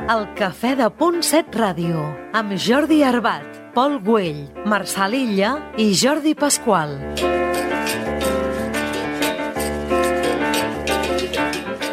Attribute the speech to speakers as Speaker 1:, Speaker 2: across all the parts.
Speaker 1: El Cafè de Punt 7 Ràdio, amb Jordi Arbat, Pol Güell, Marçal Illa i Jordi Pasqual.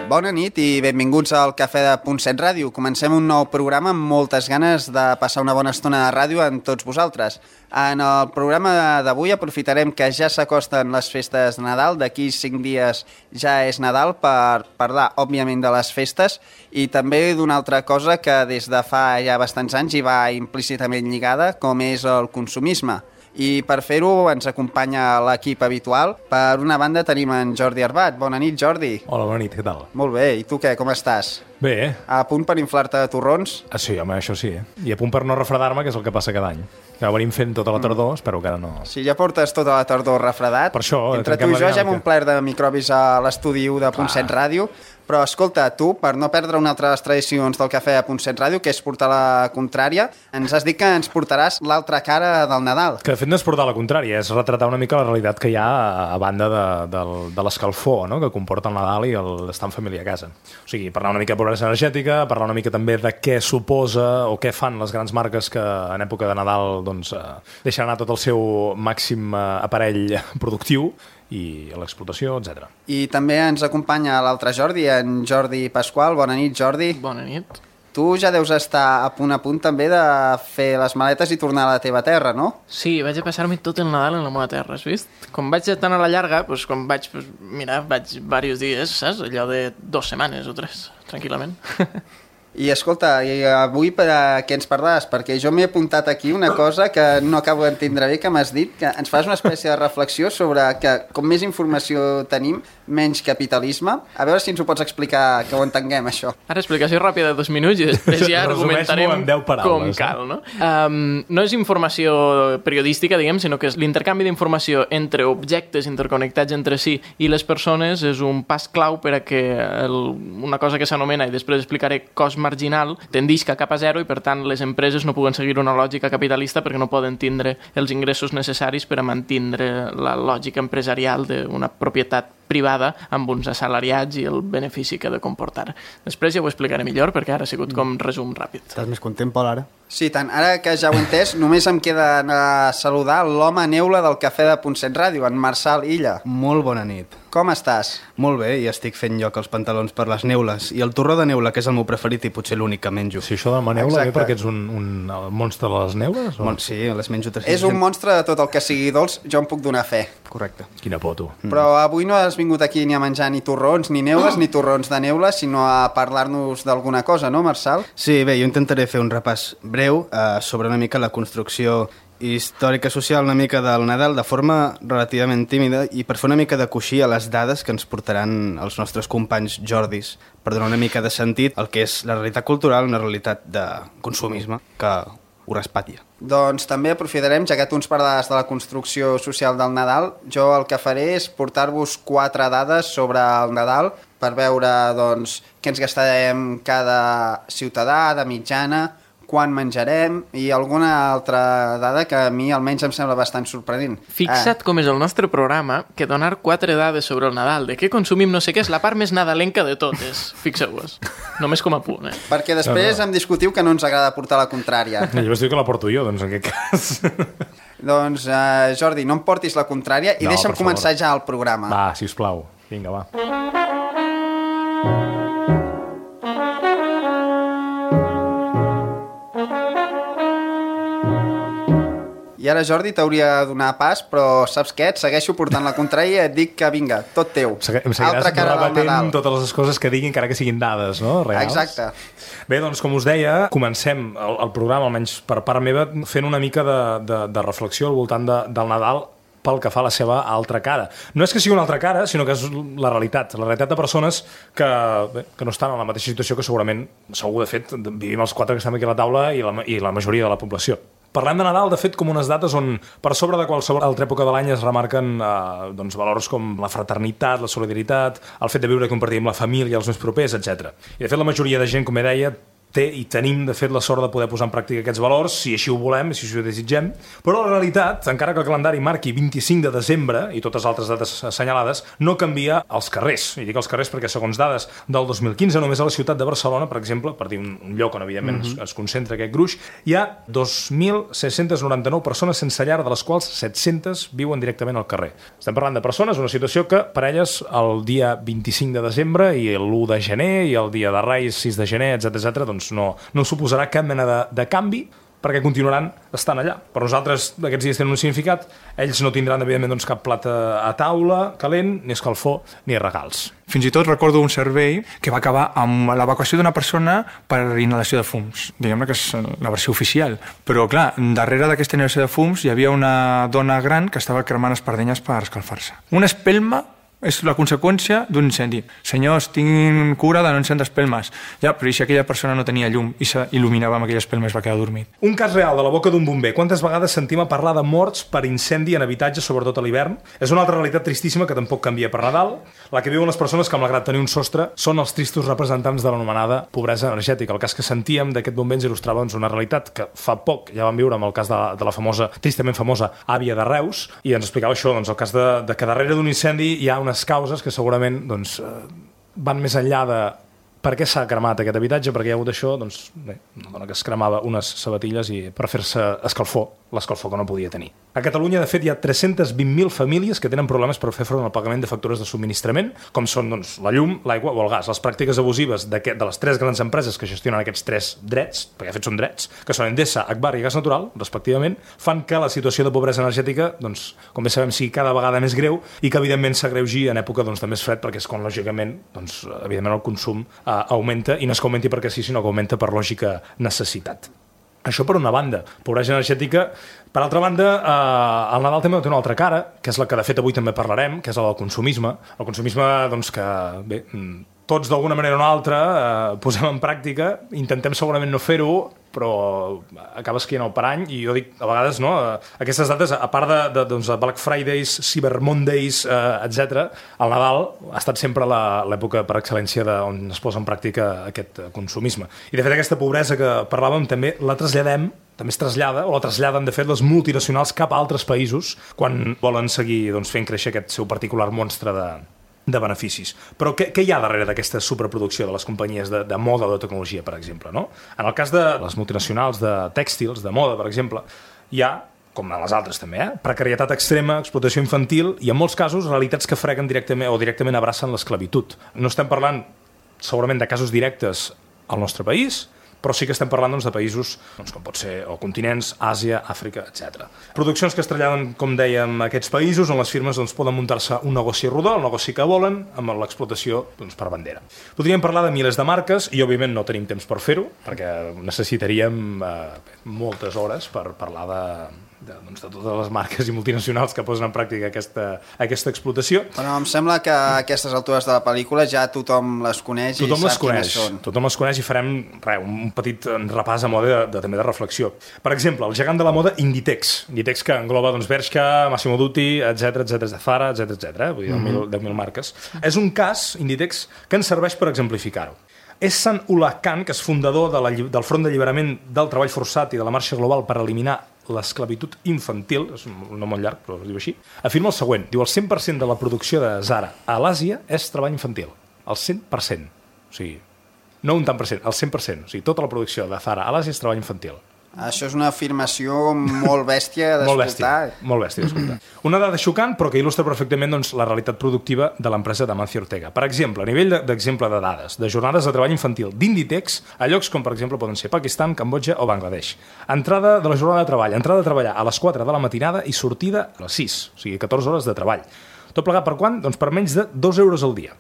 Speaker 2: Bona nit i benvinguts al Cafè de Punt 7 Ràdio. Comencem un nou programa amb moltes ganes de passar una bona estona de ràdio amb tots vosaltres. En el programa d'avui aprofitarem que ja s'acosten les festes de Nadal. D'aquí 5 dies ja és Nadal per parlar, òbviament, de les festes i també d'una altra cosa que des de fa ja bastants anys hi va implícitament lligada, com és el consumisme. I per fer-ho ens acompanya l'equip habitual. Per una banda tenim en Jordi Arbat. Bona nit, Jordi.
Speaker 3: Hola, bona nit, què tal?
Speaker 2: Molt bé, i tu què, com estàs?
Speaker 3: Bé.
Speaker 2: A punt per inflar-te de torrons?
Speaker 3: Sí, home, això sí. I a punt per no refredar-me, que és el que passa cada any. Que ho venim fent tota la tardor, espero que ara no...
Speaker 2: Sí, ja portes tota la tardor refredat.
Speaker 3: Per això...
Speaker 2: Entre tu i jo ja hem omplert de microbis a l'estudi 1 de Punt 7 Ràdio. Però escolta, tu, per no perdre una altra de les tradicions del Cafè de Punt 7 Ràdio, que és portar la contrària, ens has dit que ens portaràs l'altra cara del Nadal.
Speaker 3: Que de fet no és portar la contrària, és retratar una mica la realitat que hi ha a banda de l'escalfor, no?, que comporta el Nadal i l'estar en família a casa. O sigui, parlar una mica de pobresa energètica, parlar una mica també de què suposa o què fan les grans marques que en època de Nadal doncs, deixen anar tot el seu màxim aparell productiu i l'explotació, etc.
Speaker 2: I també ens acompanya l'altre Jordi, en Jordi Pasqual. Bona nit, Jordi.
Speaker 4: Bona nit.
Speaker 2: Tu ja deus estar a punt també de fer les maletes i tornar a la teva terra, no?
Speaker 4: Sí, vaig a passar-me tot el Nadal en la meva terra, has vist? Com vaig tan a la llarga, doncs quan vaig, mira, vaig diversos dies, saps? Allò de 2 setmanes o 3, tranquil·lament.
Speaker 2: I escolta, i avui per a què ens parlaràs? Perquè jo m'he apuntat aquí una cosa que no acabo d'entendre bé, que m'has dit, que ens fas una espècie de reflexió sobre que com més informació tenim, menys capitalisme. A veure si ens ho pots explicar, que ho entenguem, això.
Speaker 4: Ara explicació ràpida de 2 minuts i després ja argumentarem com cal, no? No és informació periodística, diguem, sinó que és l'intercanvi d'informació entre objectes interconnectats entre si i les persones és un pas clau per a que una cosa que s'anomena, i després explicaré, cost marginal, tendisca cap a zero i, per tant, les empreses no puguen seguir una lògica capitalista perquè no poden tindre els ingressos necessaris per a mantindre la lògica empresarial d'una propietat privada amb uns assalariats i el benefici que ha de comportar. Després ja ho explicaré millor perquè ara ha sigut com resum ràpid.
Speaker 5: Estàs més content, Pol, ara?
Speaker 2: Sí, tant. Ara que ja ho he entès, només em queda saludar l'home neula del Cafè de Punt 7 Ràdio, en Marçal Illa.
Speaker 5: Molt bona nit.
Speaker 2: Com estàs?
Speaker 5: Molt bé, i estic fent lloc als pantalons per les neules. I el torró de neula, que és el meu preferit i potser l'únic que menjo.
Speaker 3: Sí, això de la neula ve perquè ets un monstre de les neules? O?
Speaker 5: Sí, les menjo 300.
Speaker 2: És un monstre de tot el que sigui dolç, jo em puc donar fe.
Speaker 5: Correcte.
Speaker 3: Quina por, tu.
Speaker 2: Però avui no has vingut aquí ni a menjar ni torrons ni neules, ni torrons de neula, sinó a parlar-nos d'alguna cosa, no, Marçal?
Speaker 5: Sí, bé, jo intentaré fer un repàs breu sobre una mica la construcció històrica social una mica del Nadal de forma relativament tímida i per fer una mica de coixí a les dades que ens portaran els nostres companys Jordis per donar una mica de sentit al que és la realitat cultural, una realitat de consumisme que ho respatlla.
Speaker 2: Doncs també aprofitarem, ja que tu ens parlaràs de la construcció social del Nadal, jo el que faré és portar-vos 4 dades sobre el Nadal per veure doncs, què ens gastarem cada ciutadà de mitjana, quan menjarem i alguna altra dada que a mi almenys em sembla bastant sorprenent.
Speaker 4: Fixa't com és el nostre programa que donar 4 dades sobre el Nadal, de què consumim no sé què, és la part més nadalenca de totes. Fixeu-vos. Només com a punt,
Speaker 2: Perquè després em discutiu que no ens agrada portar la contrària.
Speaker 3: Llavors diu que la porto jo, doncs en aquest cas.
Speaker 2: Doncs, Jordi, no em portis la contrària i deixa'm començar ja el programa.
Speaker 3: Va, sisplau. Vinga, va.
Speaker 2: I ara, Jordi, t'hauria de donar pas, però saps què? Et segueixo portant la contrària i et dic que vinga, tot teu.
Speaker 3: Em seguiràs rebatent totes les coses que diguin, encara que siguin dades, no? Reals.
Speaker 2: Exacte.
Speaker 3: Bé, doncs, com us deia, comencem el programa, almenys per part meva, fent una mica de reflexió al voltant del Nadal pel que fa a la seva altra cara. No és que sigui una altra cara, sinó que és la realitat de persones que no estan en la mateixa situació que segurament, segur, de fet, vivim els 4 que estem aquí a la taula i la majoria de la població. Parlem de Nadal, de fet, com unes dates on per sobre de qualsevol altra època de l'any es remarquen valors com la fraternitat, la solidaritat, el fet de viure i compartir amb la família, els més propers, etc. I de fet la majoria de gent, com he deia, té i tenim, de fet, la sort de poder posar en pràctica aquests valors, si així ho volem, si així ho desitgem. Però la realitat, encara que el calendari marqui 25 de desembre i totes altres dates assenyalades, no canvia als carrers. I dic als carrers perquè, segons dades del 2015, només a la ciutat de Barcelona, per exemple, per dir un lloc on, evidentment, es concentra aquest gruix, hi ha 2.699 persones sense llar, de les quals 700 viuen directament al carrer. Estem parlant de persones, una situació que per elles el dia 25 de desembre i l'1 de gener i el dia de Reis, 6 de gener, etc., doncs no suposarà cap mena de canvi perquè continuaran estant allà. Per nosaltres aquests dies tenen un significat, ells no tindran evidentment doncs, cap plat a taula calent, ni escalfor, ni regals.
Speaker 6: Fins i tot recordo un servei que va acabar amb l'evacuació d'una persona per inhalació de fums. Diguem-ne que és la versió oficial. Però clar, darrere d'aquesta inhalació de fums hi havia una dona gran que estava cremant espardenyes per escalfar-se. Una espelma és la conseqüència d'un incendi. Senyors, tinguin cura de no encendre espelmes. Ja, però si aquella persona no tenia llum i s'il·luminava amb aquella espelma i es va quedar dormit.
Speaker 3: Un cas real de la boca d'un bomber. Quantes vegades sentim a parlar de morts per incendi en habitatges, sobretot a l'hivern? És una altra realitat tristíssima que tampoc canvia per Nadal. La que viuen les persones que, malgrat tenir un sostre, són els tristos representants de l'anomenada pobresa energètica. El cas que sentíem d'aquest bomber ens il·lustrava doncs, una realitat que fa poc ja vam viure amb el cas de la famosa, tristament famosa, àvia de Reus, i ens explicava això, doncs, el cas de que darrere d'un incendi hi ha unes causes que segurament doncs, van més enllà de per què s'ha cremat aquest habitatge, perquè hi ha hagut això, doncs bé, una dona que es cremava unes sabatilles i per fer-se escalfor, l'escalfor que no podia tenir. A Catalunya, de fet, hi ha 320.000 famílies que tenen problemes per fer front al pagament de factures de subministrament, com són doncs, la llum, l'aigua o el gas. Les pràctiques abusives de les tres grans empreses que gestionen aquests tres drets, perquè de fet són drets, que són Endesa, Agbar i Gas Natural, respectivament, fan que la situació de pobresa energètica, doncs, com bé sabem, sigui cada vegada més greu i que, evidentment, s'agreugi en època doncs, de més fred, perquè és quan, lògicament, doncs, evidentment, el consum augmenta, i no és que augmenti perquè sí, sinó que augmenta per lògica necessitat. Això per una banda, pobresa energètica. Per altra banda, el Nadal també té una altra cara, que és la que de fet avui també parlarem, que és la del consumisme. El consumisme, doncs, que bé, tots d'alguna manera o una altra posem en pràctica, intentem segurament no fer-ho, però acaba esquiant el parany, i jo dic, a vegades, no, aquestes dates, a part de Black Fridays, Cyber Mondays, etc., el Nadal ha estat sempre l'època per excel·lència on es posa en pràctica aquest consumisme. I de fet aquesta pobresa que parlàvem també la traslladem, també es trasllada, o la traslladen de fet les multinacionals cap a altres països quan volen seguir doncs, fent créixer aquest seu particular monstre de beneficis. Però què hi ha darrere d'aquesta superproducció de les companyies de moda o de tecnologia, per exemple? No? En el cas de les multinacionals de tèxtils, de moda, per exemple, hi ha, com en les altres també, precarietat extrema, explotació infantil i, en molts casos, realitats que freguen directament o directament abracen l'esclavitud. No estem parlant, segurament, de casos directes al nostre país, però sí que estem parlant doncs, de països doncs, com pot ser o continents, Àsia, Àfrica, etc. Produccions que es traslladen, com dèiem, a aquests països on les firmes doncs, poden muntar-se un negoci rodó, el negoci que volen, amb l'explotació doncs, per bandera. Podríem parlar de milers de marques i, òbviament, no tenim temps per fer-ho, perquè necessitaríem moltes hores per parlar de totes les marques i multinacionals que posen en pràctica aquesta explotació.
Speaker 2: Però em sembla que a aquestes altures de la pel·lícula ja tothom les coneix i sap quines són.
Speaker 3: Tothom les coneix i farem un petit repàs a mode també de reflexió. Per exemple, el gegant de la moda Inditex. Inditex que engloba doncs, Bershka, Massimo Dutti, etc, Zara, etc. Vull dir, 10.000 marques. És un cas, Inditex, que ens serveix per exemplificar-ho. Ehsan Ullah Khan, que és fundador del Front d'Alliberament del Treball Forçat i de la Marxa Global per eliminar l'esclavitud infantil, és un nom molt llarg, però es diu així, afirma el següent. Diu, el 100% de la producció de Zara a l'Àsia és treball infantil. El 100%. O sigui, no un tant per cent, el 100%. O sigui, tota la producció de Zara a l'Àsia és treball infantil.
Speaker 2: Això és una afirmació molt bèstia d'escoltar.
Speaker 3: Molt bèstia d'escoltar. Una dada xocant, però que il·lustra perfectament doncs, la realitat productiva de l'empresa d'Amancio Ortega. Per exemple, a nivell d'exemple de dades, de jornades de treball infantil d'Inditex, a llocs com, per exemple, poden ser Pakistan, Cambodja o Bangladesh. Entrada de la jornada de treball, entrada a treballar a les 4 de la matinada i sortida a les 6, o sigui, 14 hores de treball. Tot plegat per quant? Doncs per menys de 2 euros al dia.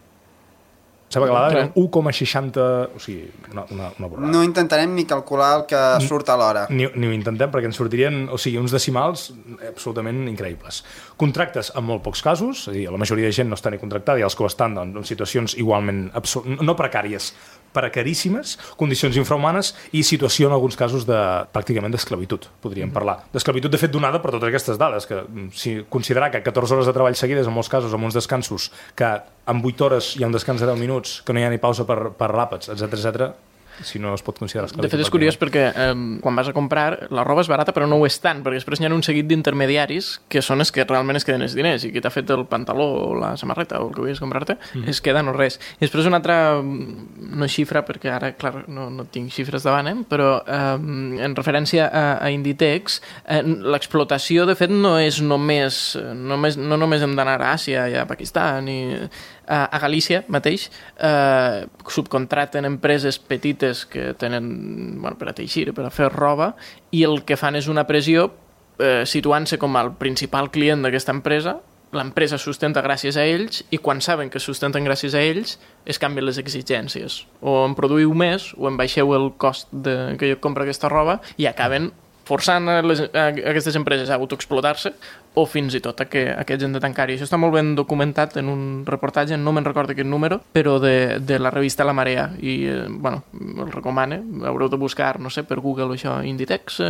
Speaker 3: Sembla que la dada era 1,60... O sigui, una borrada.
Speaker 2: No intentarem ni calcular el que surt a l'hora.
Speaker 3: Ni ho intentem, perquè ens sortirien uns decimals absolutament increïbles. Contractes en molt pocs casos, és a dir, la majoria de gent no està ni contractada i els que ho estan en situacions igualment no precàries, precaríssimes, condicions infrahumanes i situació en alguns casos pràcticament d'esclavitud, podríem parlar. D'esclavitud, de fet, donada per totes aquestes dades, que si considerar que 14 hores de treball seguides, en molts casos, amb uns descansos, que en 8 hores hi ha un descans de 10 minuts, que no hi ha ni pausa per l'àpats, etc. si no es pot considerar esclavitud.
Speaker 4: De fet, és curiós perquè quan vas a comprar, la roba és barata però no ho és tant, perquè després hi ha un seguit d'intermediaris que són els que realment es queden els diners, i qui t'ha fet el pantaló o la samarreta o el que volies comprar-te, es queda no res. I després una altra, no xifra, perquè ara, clar, no tinc xifres davant, però en referència a Inditex, l'explotació, de fet, no és només hem d'anar a Àsia i a Pakistan i a Galícia mateix subcontraten empreses petites que tenen per a teixir, per a fer roba, i el que fan és una pressió situant-se com el principal client d'aquesta empresa. L'empresa sustenta gràcies a ells, i quan saben que sustenten gràcies a ells es canvien les exigències, o en produïu més o en baixeu el cost que jo compro aquesta roba, i acaben forçant aquestes empreses a autoexplotar-se o fins i tot a que aquests han de tancar. I això està molt ben documentat en un reportatge, no me'n recordo quin número, però de la revista La Marea, i el recomano, haureu de buscar, no sé, per Google això, Inditex,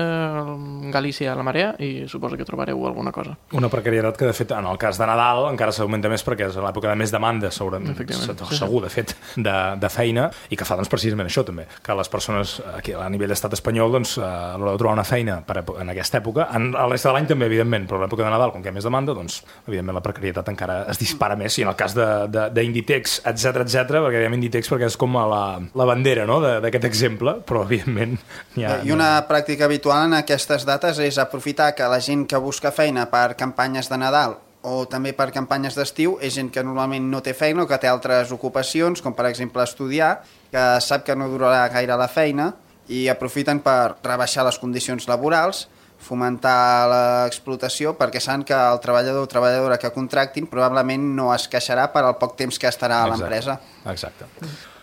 Speaker 4: Galícia, La Marea, i suposo que trobareu alguna cosa.
Speaker 3: Una precarietat que, de fet, en el cas de Nadal encara s'augmenta més perquè és l'època de més demanda, segur, de fet, de feina, i que fa, doncs, precisament això, també, que les persones aquí a nivell d'estat espanyol, doncs, a l'hora de trobar una feina en aquesta època, a l'est de l'any també, evidentment, però a l'època de Nadal, com que hi ha més demanda, doncs, evidentment, la precarietat encara es dispara més, i en el cas d'Inditex, etc, perquè diem Inditex perquè és com la bandera, no?, d'aquest exemple, però, evidentment, hi ha...
Speaker 2: I una pràctica habitual en aquestes dates és aprofitar que la gent que busca feina per campanyes de Nadal o també per campanyes d'estiu és gent que normalment no té feina o que té altres ocupacions, com per exemple estudiar, que sap que no durarà gaire la feina, i aprofiten per rebaixar les condicions laborals, fomentar l'explotació, perquè saben que el treballador o treballadora que contractin probablement no es queixarà per al poc temps que estarà a l'empresa.
Speaker 3: Exacte.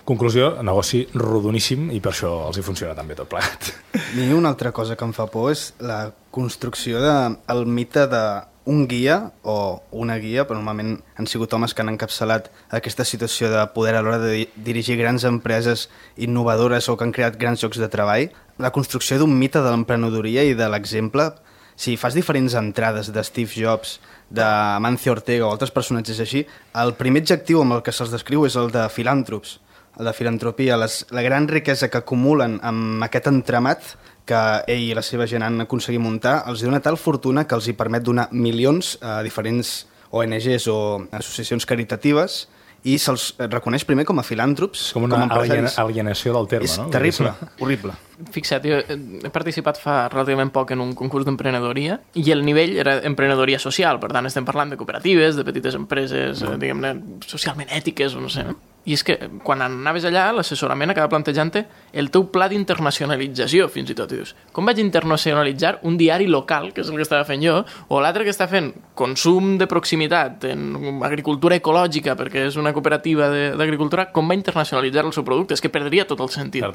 Speaker 3: Conclusió, negoci rodoníssim, i per això els hi funciona tan bé tot plegat.
Speaker 5: I una altra cosa que em fa por és la construcció del mite d'un guia o una guia, però normalment han sigut homes que han encapçalat aquesta situació de poder a l'hora de dirigir grans empreses innovadores o que han creat grans llocs de treball. La construcció d'un mite de l'emprenedoria i de l'exemple. Si fas diferents entrades de Steve Jobs, de Mancio Ortega o altres personatges així, el primer adjectiu amb el que se'ls descriu és el de filàntrops, el de filantropia, la gran riquesa que acumulen amb aquest entramat que ell i la seva gent han aconseguit muntar, els dona tal fortuna que els hi permet donar milions a diferents ONGs o associacions caritatives, i se'ls reconeix primer com a filàntrops.
Speaker 3: És com una alienació del terme, no?
Speaker 5: És terrible, horrible.
Speaker 4: Fixa't, jo he participat fa relativament poc en un concurs d'emprenedoria, i el nivell era emprenedoria social, per tant estem parlant de cooperatives, de petites empreses, diguem-ne, socialment ètiques, o no sé. I és que quan anaves allà, l'assessorament acaba plantejant-te el teu pla d'internacionalització, fins i tot. I dius, com vaig internacionalitzar un diari local, que és el que estava fent jo, o l'altre que està fent consum de proximitat en agricultura ecològica, perquè és una cooperativa d'agricultura, com va internacionalitzar el seu producte? És que perdria tot el sentit.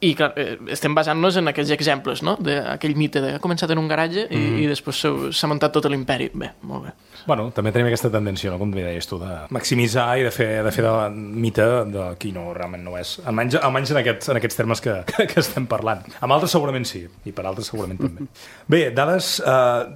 Speaker 4: I clar, estem basant-nos en aquells exemples, no?, d'aquell mite de ha començat en un garatge i després s'ha muntat tot l'imperi. Bé, molt bé.
Speaker 3: Bueno, també tenim aquesta tendència, no?, com deies tu, de maximitzar i de fer de mite de qui no realment no és. Almenys en aquests termes que estem parlant. Amb altres segurament sí, i per altres segurament també. Bé, dades,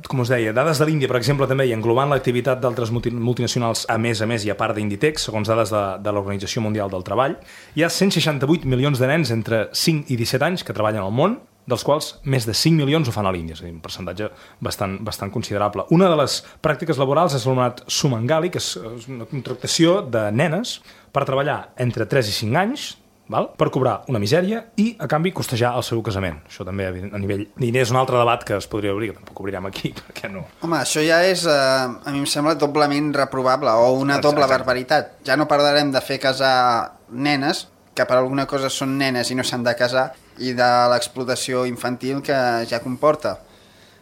Speaker 3: com us deia, dades de l'Índia, per exemple, també, i englobant l'activitat d'altres multinacionals a més i a part d'Inditex, segons dades de l'Organització Mundial del Treball, hi ha 168 milions de nens entre 5 i 17 anys que treballen al món, dels quals més de 5 milions ho fan a l'Índia, és a dir, un percentatge bastant considerable. Una de les pràctiques laborals és l'anomenat Sumangali, que és una contractació de nenes per treballar entre 3 i 5 anys, per cobrar una misèria i, a canvi, costejar el seu casament. Això també, a nivell diners, és un altre debat que es podria obrir, que tampoc obrirem aquí, perquè no...
Speaker 2: Home, això ja és, a mi em sembla, doblement reprovable, o una doble barbaritat. Ja no parlarem de fer casar nenes, que per alguna cosa són nenes i no s'han de casar, i de l'explotació infantil que ja comporta.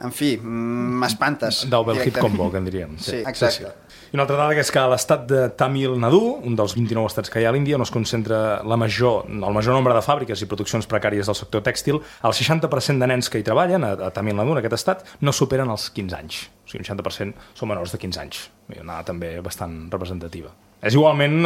Speaker 2: En fi, m'espantes.
Speaker 3: Double hit combo, que en diríem.
Speaker 2: Sí, exacte.
Speaker 3: Sí. I una altra dada és que a l'estat de Tamil Nadu, un dels 29 estats que hi ha a l'Índia, on es concentra el major nombre de fàbriques i produccions precàries del sector tèxtil, el 60% de nens que hi treballen a Tamil Nadu, en aquest estat, no superen els 15 anys. O sigui, un 60% són menors de 15 anys. Una dada també bastant representativa. És igualment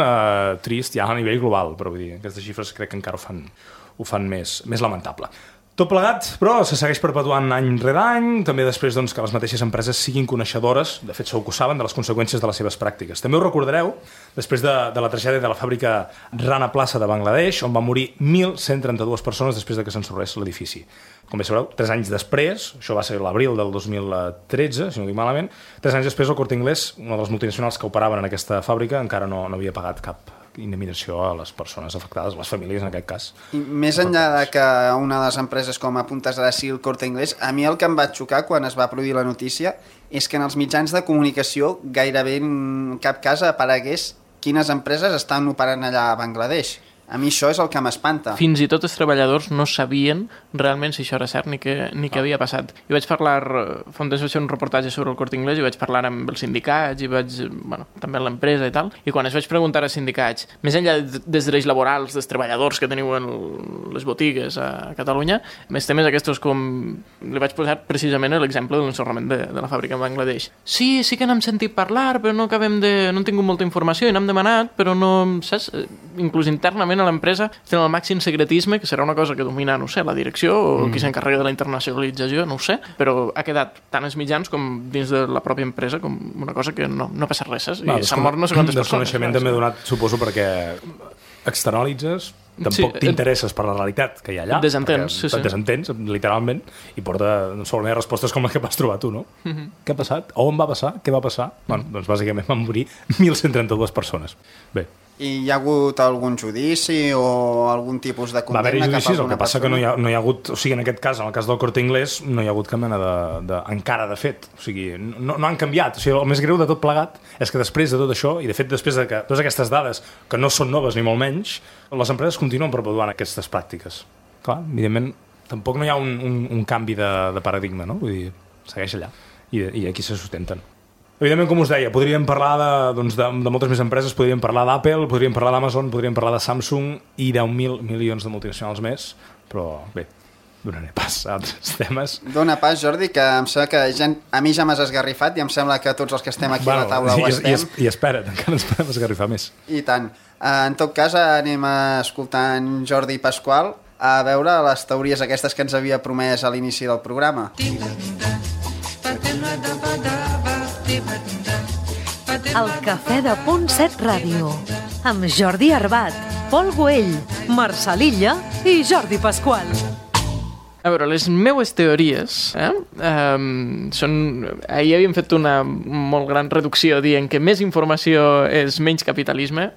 Speaker 3: trist ja a nivell global, però vull dir, aquestes xifres crec que encara ho fan més lamentable. Tot plegat, però se segueix perpetuant any rere any, també després doncs, que les mateixes empreses siguin coneixedores, de fet segur que ho saben, de les conseqüències de les seves pràctiques. També ho recordareu després de la tragèdia de la fàbrica Rana Plaza de Bangladesh, on van morir 1.132 persones després de que s'ensorrés l'edifici. Com bé sabreu, 3 anys després, això va ser l'abril del 2013, si no dic malament, 3 anys després el Corte Inglés, una de les multinacionals que operaven en aquesta fàbrica, encara no havia pagat cap indemnització a les persones afectades, a les famílies en aquest cas.
Speaker 2: I més enllà de que una de les empreses com apuntes ara sigui el Corte Inglés, a mi el que em va xocar quan es va produir la notícia és que en els mitjans de comunicació gairebé en cap cas aparegués quines empreses estan operant allà a Bangladesh. A mi això és el que m'espanta.
Speaker 4: Fins i tot els treballadors no sabien realment si això era cert ni què havia passat. Jo vaig parlar, fa un temps vaig fer un reportatge sobre el Corte Inglés i vaig parlar amb els sindicats i també amb l'empresa i tal, i quan es vaig preguntar als sindicats, més enllà dels drets laborals dels treballadors que teniu en les botigues a Catalunya, més temes aquests com li vaig posar precisament l'exemple de l'ensorrament de la fàbrica en Bangladesh. Sí que n'hem sentit parlar, però no hem tingut molta informació i n'hem demanat, però no, saps? Inclús internament a l'empresa tenen el màxim secretisme, que serà una cosa que domina, no sé, la direcció o qui s'encarrega de la internacionalització, no ho sé, però ha quedat tant als mitjans com dins de la pròpia empresa com una cosa que no passa res, i s'han mort no sé quantes persones.
Speaker 3: Desconeixement també donat, suposo, perquè externalitzes, tampoc t'interesses per la realitat que hi ha allà.
Speaker 4: Desentens,
Speaker 3: et desentens, literalment, i porta segurament respostes com la que vas trobar tu, no? Què ha passat? On va passar? Què va passar? Doncs bàsicament van morir 1.132 persones. Bé.
Speaker 2: I hi ha hagut algun judici o algun tipus de condemna?
Speaker 3: Va haver-hi judicis, el que passa
Speaker 2: persona?
Speaker 3: que no hi ha hagut, o sigui, en aquest cas, en el cas del Corte Inglés, no hi ha hagut cap mena encara de fet. O sigui, no han canviat. O sigui, el més greu de tot plegat és que després de tot això, i de fet després de que totes aquestes dades, que no són noves ni molt menys, les empreses continuen perpetuant aquestes pràctiques. Clar, evidentment, tampoc no hi ha un canvi de paradigma, no? Vull dir, segueix allà. I aquí se sustenten. Evidentment, com us deia, podríem parlar de moltes més empreses, podríem parlar d'Apple, podríem parlar d'Amazon, podríem parlar de Samsung i 10.000 milions de multinacionals més, però bé, donaré pas a altres temes.
Speaker 2: Dona pas, Jordi, que em sembla que a mi ja m'has esgarrifat i em sembla que tots els que estem aquí a la taula ho estem.
Speaker 3: I espera't, encara ens podem esgarrifar més.
Speaker 2: I tant. En tot cas, anem a escoltar en Jordi Pasqual a veure les teories aquestes que ens havia promès a l'inici del programa.
Speaker 1: El Cafè de Punt 7 Ràdio, amb Jordi Arbat, Pol Güell, Marçal Illa i Jordi Pasqual.
Speaker 4: A veure, les meues teories són... Ahir havíem fet una molt gran reducció dient que més informació és menys capitalisme.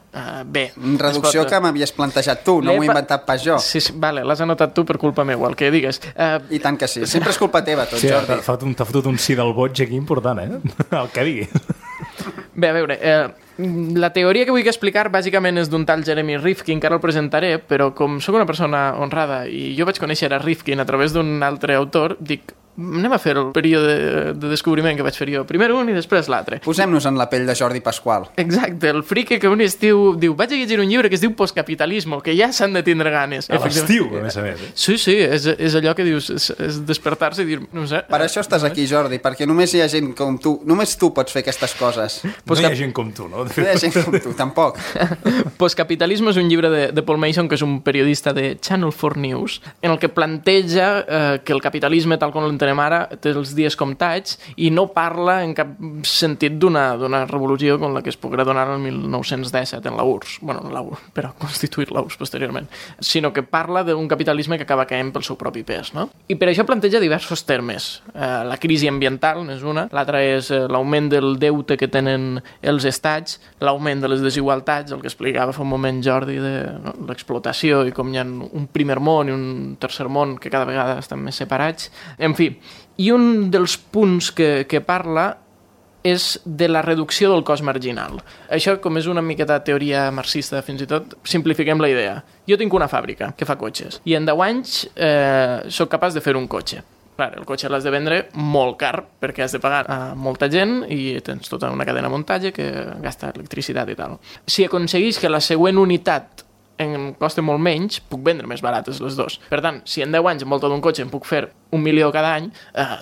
Speaker 4: Bé...
Speaker 2: Reducció que m'havies plantejat tu, no m'ho he inventat pas jo.
Speaker 4: Sí, vale, l'has anotat tu per culpa meva, el que digues.
Speaker 2: I tant que sí, sempre és culpa teva tot,
Speaker 3: sí,
Speaker 2: Jordi.
Speaker 3: T'ha fotut un sí del boig aquí important, el que digui.
Speaker 4: Bé, a veure, la teoria que vull explicar bàsicament és d'un tal Jeremy Rifkin, que ara el presentaré, però com sóc una persona honrada i jo vaig conèixer a Rifkin a través d'un altre autor, dic, anem a fer el període de descobriment que vaig fer jo. Primer un i després l'altre.
Speaker 2: Posem-nos en la pell de Jordi Pasqual.
Speaker 4: Exacte, el frique que un estiu diu vaig a llegir un llibre que es diu Postcapitalismo, que ja s'han de tindre ganes.
Speaker 3: A l'estiu, a més a més.
Speaker 4: Sí, és allò que dius, és despertar-se i dir, no sé...
Speaker 2: Per això estàs aquí, Jordi, perquè només hi ha gent com tu, només tu pots fer aquestes coses.
Speaker 3: No hi ha gent com tu, no?
Speaker 2: No hi ha gent com tu, tampoc.
Speaker 4: Postcapitalismo és un llibre de Paul Mason, que és un periodista de Channel 4 News, en el que planteja que el capitalisme, tal com l'entenem ara, té els dies comptats i no parla en cap sentit d'una revolució com la que es poguera donar el 1917 en la URSS, però constituir la URSS posteriorment, sinó que parla d'un capitalisme que acaba caent pel seu propi pes, no? I per això planteja diversos termes. La crisi ambiental n'és una, l'altra és l'augment del deute que tenen els estats, l'augment de les desigualtats, el que explicava fa un moment Jordi de l'explotació i com hi ha un primer món i un tercer món que cada vegada estan més separats. En fi, i un dels punts que parla és de la reducció del cost marginal. Això, com és una miqueta teoria marxista, fins i tot, simplifiquem la idea. Jo tinc una fàbrica que fa cotxes i en 10 anys sóc capaç de fer un cotxe. Clar, el cotxe l'has de vendre molt car perquè has de pagar a molta gent i tens tota una cadena de muntatge que gasta electricitat i tal. Si aconseguís que la següent unitat em costa molt menys, puc vendre més barates les dues. Per tant, si en 10 anys amb volta d'un cotxe em puc fer 1 milió cada any,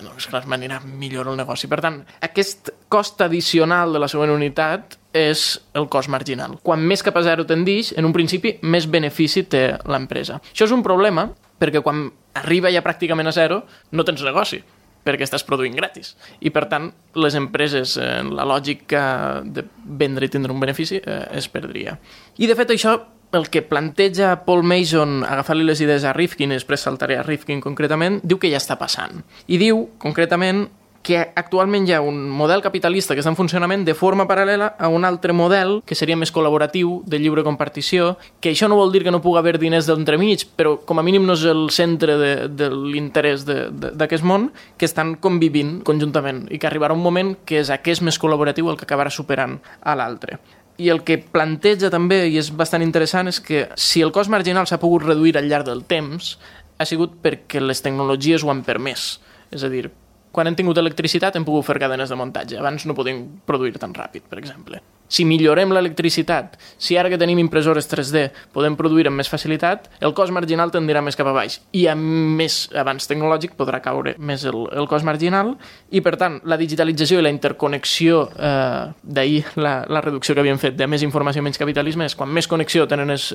Speaker 4: doncs clar, m'anirà millor el negoci. Per tant, aquest cost addicional de la següent unitat és el cost marginal. Quan més cap a zero tendix, en un principi, més benefici té l'empresa. Això és un problema perquè quan arriba ja pràcticament a zero no tens negoci, perquè estàs produint gratis. I, per tant, les empreses, en la lògica de vendre i tindre un benefici, es perdria. I, de fet, això, el que planteja Paul Mason, agafant-li les idees a Rifkin, i després saltaré a Rifkin concretament, diu que ja està passant. I diu, concretament, que actualment hi ha un model capitalista que està en funcionament de forma paral·lela a un altre model que seria més col·laboratiu, de lliure compartició, que això no vol dir que no pugui haver diners d'entremig, però com a mínim no és el centre de l'interès d'aquest món, que estan convivint conjuntament i que arribarà un moment que és aquest més col·laboratiu el que acabarà superant a l'altre. I el que planteja també, i és bastant interessant, és que si el cost marginal s'ha pogut reduir al llarg del temps, ha sigut perquè les tecnologies ho han permès. És a dir, quan hem tingut electricitat hem pogut fer cadenes de muntatge. Abans no podíem produir tan ràpid, per exemple. Si millorem l'electricitat, si ara que tenim impressores 3D podem produir amb més facilitat, el cost marginal tendirà més cap a baix. I amb més avanç tecnològic podrà caure més el cost marginal. I, per tant, la digitalització i la interconnexió, d'ahir la reducció que havíem fet de més informació i menys capitalisme, és quan més connexió tenen els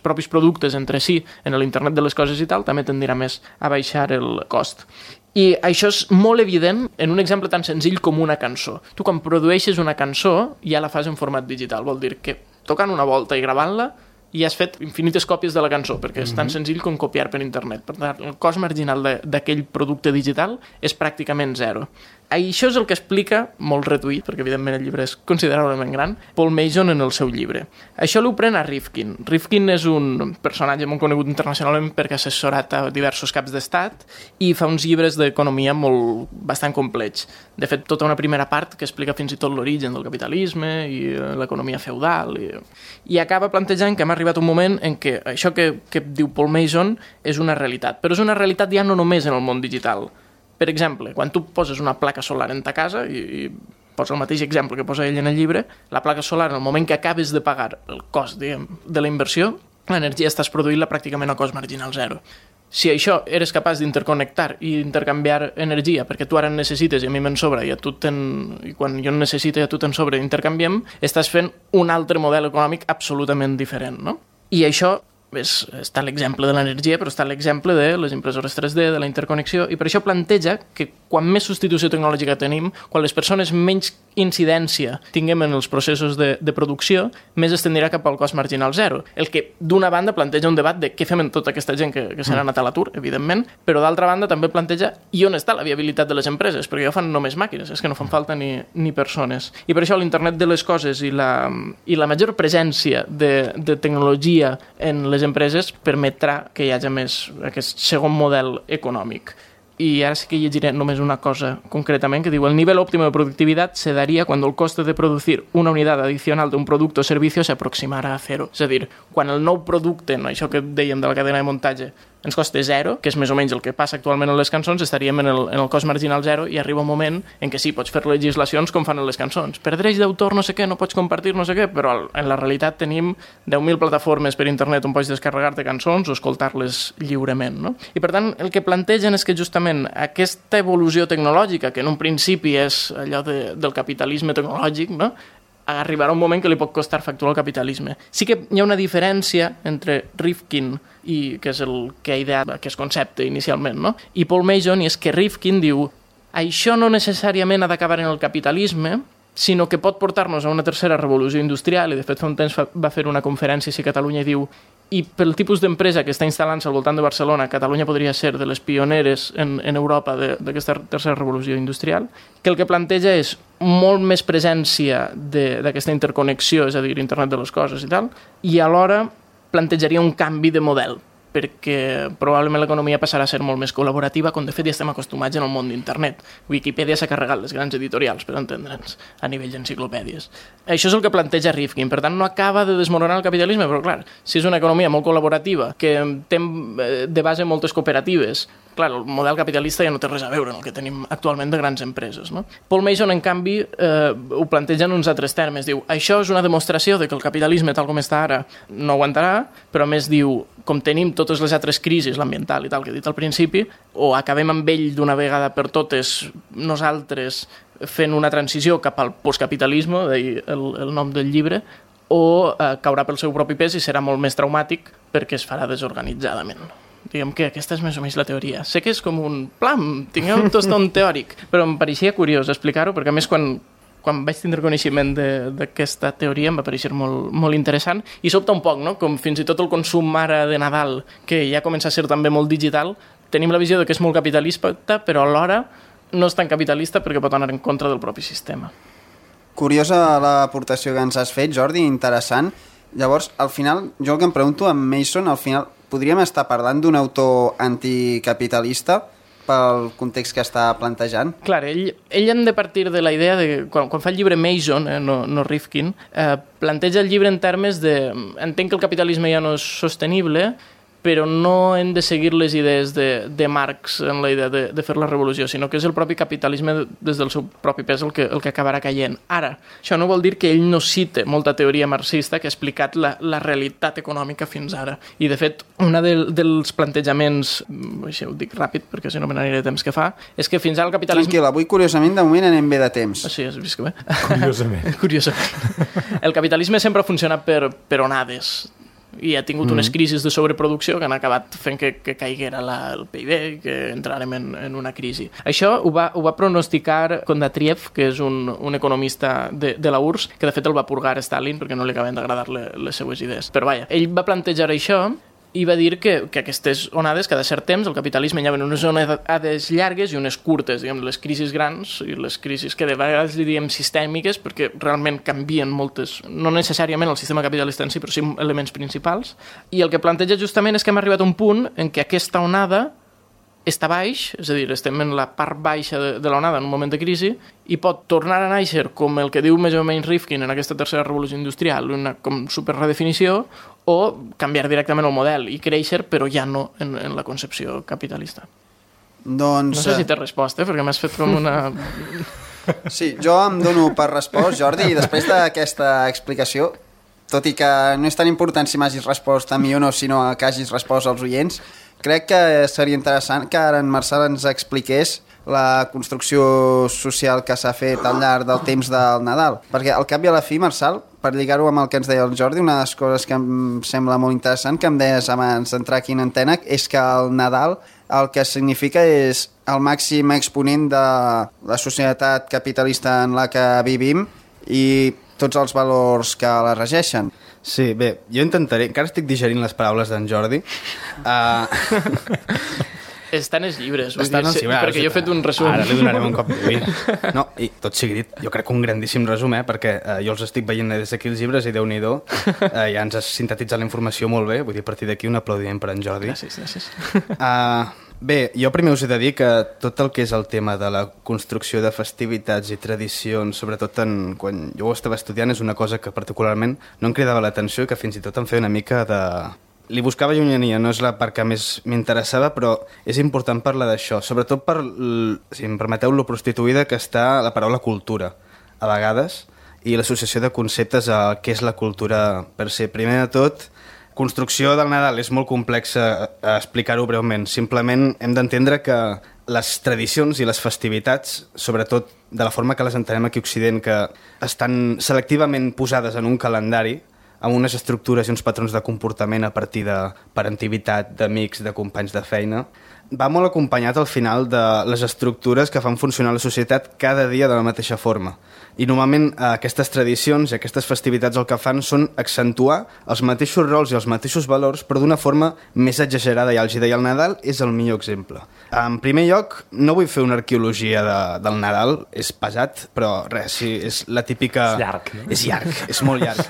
Speaker 4: propis productes entre si en l'internet de les coses i tal, també tendirà més a baixar el cost. I això és molt evident en un exemple tan senzill com una cançó. Tu quan produeixes una cançó ja la fas en format digital, vol dir que tocant una volta i gravant-la ja has fet infinites còpies de la cançó, perquè és tan senzill com copiar per internet. Per tant, el cost marginal d'aquell producte digital és pràcticament zero. Això és el que explica, molt reduït, perquè evidentment el llibre és considerablement gran, Paul Mason en el seu llibre. Això l'ho pren a Rifkin. Rifkin és un personatge molt conegut internacionalment perquè ha assessorat a diversos caps d'estat i fa uns llibres d'economia bastant complets. De fet, tota una primera part que explica fins i tot l'origen del capitalisme i l'economia feudal. I acaba plantejant que hem arribat un moment en què això que diu Paul Mason és una realitat. Però és una realitat ja no només en el món digital. Per exemple, quan tu poses una placa solar en ta casa, i posa el mateix exemple que posa ell en el llibre, la placa solar, en el moment que acabes de pagar el cost, diguem, de la inversió, l'energia estàs produint-la pràcticament a cost marginal zero. Si això eres capaç d'interconnectar i intercanviar energia, perquè tu ara en necessites i a mi me'n sobra, i quan jo en necessito i a tu te'n sobra i intercanviem, estàs fent un altre model econòmic absolutament diferent, no? I això està l'exemple de l'energia, però està l'exemple de les impressores 3D, de la interconnexió, i per això planteja que quan més substitució tecnològica tenim, quan les persones menys incidència tinguem en els processos de producció, més es tendirà cap al cost marginal zero. El que, d'una banda, planteja un debat de què fem amb tota aquesta gent que se n'ha anat a l'atur, evidentment, però d'altra banda també planteja i on està la viabilitat de les empreses, perquè ja fan només màquines, és que no fan falta ni persones. I per això l'internet de les coses i la major presència de tecnologia en les empreses permetrà que hi hagi més aquest segon model econòmic. Y ahora sí que llegiré només una cosa concretamente que digo: el nivel óptimo de productividad se daría cuando el coste de producir una unidad adicional de un producto o servicio se aproximara a cero. És a dir, quan el nou producte, no, això que dèiem de la cadena de muntatge, ens costa zero, que és més o menys el que passa actualment en les cançons, estaríem en el cost marginal zero, i arriba un moment en què sí, pots fer legislacions com fan en les cançons. Per drets d'autor no sé què, no pots compartir no sé què, però en la realitat tenim 10.000 plataformes per internet on pots descarregar-te cançons o escoltar-les lliurement, no? I per tant, el que plantegen és que justament aquesta evolució tecnològica, que en un principi és allò del capitalisme tecnològic, no?, arribarà un moment que li pot costar facturar el capitalisme. Sí que hi ha una diferència entre Rifkin, que és el que ha ideat aquest concepte inicialment, no?, i Paul Mason, i és que Rifkin diu: això no necessàriament ha d'acabar en el capitalisme, sinó que pot portar-nos a una tercera revolució industrial, i de fet fa un temps va fer una conferència a Catalunya i diu: i pel tipus d'empresa que està instal·lant-se al voltant de Barcelona, Catalunya podria ser de les pioneres en Europa d'aquesta tercera revolució industrial, que el que planteja és molt més presència d'aquesta interconnexió, és a dir, internet de les coses i tal, i alhora plantejaria un canvi de model, perquè probablement l'economia passarà a ser molt més col·laborativa, com de fet ja estem acostumats en el món d'internet. Wikipedia s'ha carregat les grans editorials, per entendre'ns, a nivell d'enciclopèdies. Això és el que planteja Rifkin. Per tant, no acaba de desmoronar el capitalisme, però clar, si és una economia molt col·laborativa, que té de base moltes cooperatives, clar, el model capitalista ja no té res a veure amb el que tenim actualment de grans empreses, no? Paul Mason, en canvi, ho planteja en uns altres termes. Diu: això és una demostració de que el capitalisme, tal com està ara, no aguantarà, però a més diu: com tenim totes les altres crisis, l'ambiental i tal, que he dit al principi, o acabem amb ell d'una vegada per totes nosaltres fent una transició cap al postcapitalisme, el nom del llibre, o caurà pel seu propi pes i serà molt més traumàtic perquè es farà desorganitzadament. diguem que aquesta és més o menys la teoria. Sé que és com un plam, tingueu un tostón teòric, però em pareixia curiós explicar-ho, perquè a més quan vaig tindre coneixement d'aquesta teoria em va pareixer molt interessant i sobta un poc, no? Com fins i tot el consum ara de Nadal, que ja comença a ser també molt digital, tenim la visió de que és molt capitalista, però alhora no és tan capitalista perquè pot anar en contra del propi sistema.
Speaker 2: Curiosa l'aportació que ens has fet, Jordi, interessant. Llavors, al final, jo el que em pregunto, amb Mason, al final, podríem estar parlant d'un autor anticapitalista pel context que està plantejant?
Speaker 4: Clar, ell hem de partir de la idea de... Quan fa el llibre Mason, no Rifkin, planteja el llibre en termes de... Entenc que el capitalisme ja no és sostenible, però no hem de seguir les idees de Marx en la idea de fer la revolució, sinó que és el propi capitalisme des del seu propi pes el que acabarà caient. Ara, això no vol dir que ell no cite molta teoria marxista que ha explicat la realitat econòmica fins ara. I, de fet, un dels plantejaments, això ho dic ràpid perquè si no me n'aniré de temps que fa, és que fins ara el capitalisme...
Speaker 2: Tranquil, avui, curiosament, de moment anem bé de temps.
Speaker 4: Sí, has vist que bé?
Speaker 3: Curiosament.
Speaker 4: Curiosament. El capitalisme sempre ha funcionat per onades, i ha tingut unes crisis de sobreproducció que han acabat fent que caiguera el PIB i que entrarem en una crisi. Això ho va pronosticar Kondatriev, que és un economista de la URSS, que de fet el va purgar Stalin perquè no li acaben d'agradar les seues idees. Però vaja, ell va plantejar això i va dir que aquestes onades, cada cert temps, el capitalisme hi ha unes onades llargues i unes curtes, diguem, les crisis grans i les crisis que de vegades li diem sistèmiques perquè realment canvien moltes, no necessàriament el sistema capitalista en si, però sí elements principals. I el que planteja justament és que hem arribat a un punt en què aquesta onada està baix, és a dir, estem en la part baixa de l'onada en un moment de crisi i pot tornar a néixer com el que diu més o menys Rifkin en aquesta tercera revolució industrial, una com superredefinició, o canviar directament el model i créixer, però ja no en la concepció capitalista.
Speaker 2: Doncs...
Speaker 4: No sé si t'he respost, perquè m'has fet com una...
Speaker 2: Sí, jo em dono per respost, Jordi, i després d'aquesta explicació, tot i que no és tan important si m'hagis respost a mi o no, sinó que hagis respost als oients, crec que seria interessant que ara en Marçal ens expliqués la construcció social que s'ha fet al llarg del temps del Nadal. Perquè al cap i a la fi, Marçal, per lligar-ho amb el que ens deia el Jordi, una de les coses que em sembla molt interessant, que em deies abans d'entrar aquí en antena, és que el Nadal el que significa és el màxim exponent de la societat capitalista en la que vivim i tots els valors que la regeixen.
Speaker 5: Sí, bé, jo intentaré... Encara estic digerint les paraules d'en Jordi.
Speaker 4: Estan els llibres,
Speaker 5: Estan els llibres,
Speaker 4: perquè jo he fet un resum.
Speaker 5: Ara li donarem un cop d'ull. No, i tot sigui dit, jo crec que un grandíssim resum, perquè jo els estic veient des d'aquí els llibres i Déu-n'hi-do, ja ens has sintetitzat la informació molt bé, vull dir, a partir d'aquí un aplaudiment per en Jordi.
Speaker 4: Gràcies.
Speaker 5: Bé, jo primer us he de dir que tot el que és el tema de la construcció de festivitats i tradicions, sobretot quan jo ho estava estudiant, és una cosa que particularment no em cridava l'atenció i que fins i tot em feia una mica de... Li buscava llunyania, no és la part que més m'interessava, però és important parlar d'això, sobretot per, si em permeteu, lo prostituïda que està la paraula cultura, a vegades, i l'associació de conceptes a què és la cultura per ser. Primer de tot, construcció del Nadal és molt complexa explicar-ho breument. Simplement hem d'entendre que les tradicions i les festivitats, sobretot de la forma que les entenem aquí a Occident, que estan selectivament posades en un calendari, amb unes estructures i uns patrons de comportament a partir de parentivitat, d'amics, de companys de feina, va molt acompanyat al final de les estructures que fan funcionar la societat cada dia de la mateixa forma. I normalment aquestes tradicions i aquestes festivitats el que fan són accentuar els mateixos rols i els mateixos valors, però d'una forma més exagerada i àlgida, i el Nadal és el millor exemple. En primer lloc, no vull fer una arqueologia del Nadal, és pesat, però res, sí, és la típica...
Speaker 3: És llarg, no?
Speaker 5: És llarg, és molt llarg.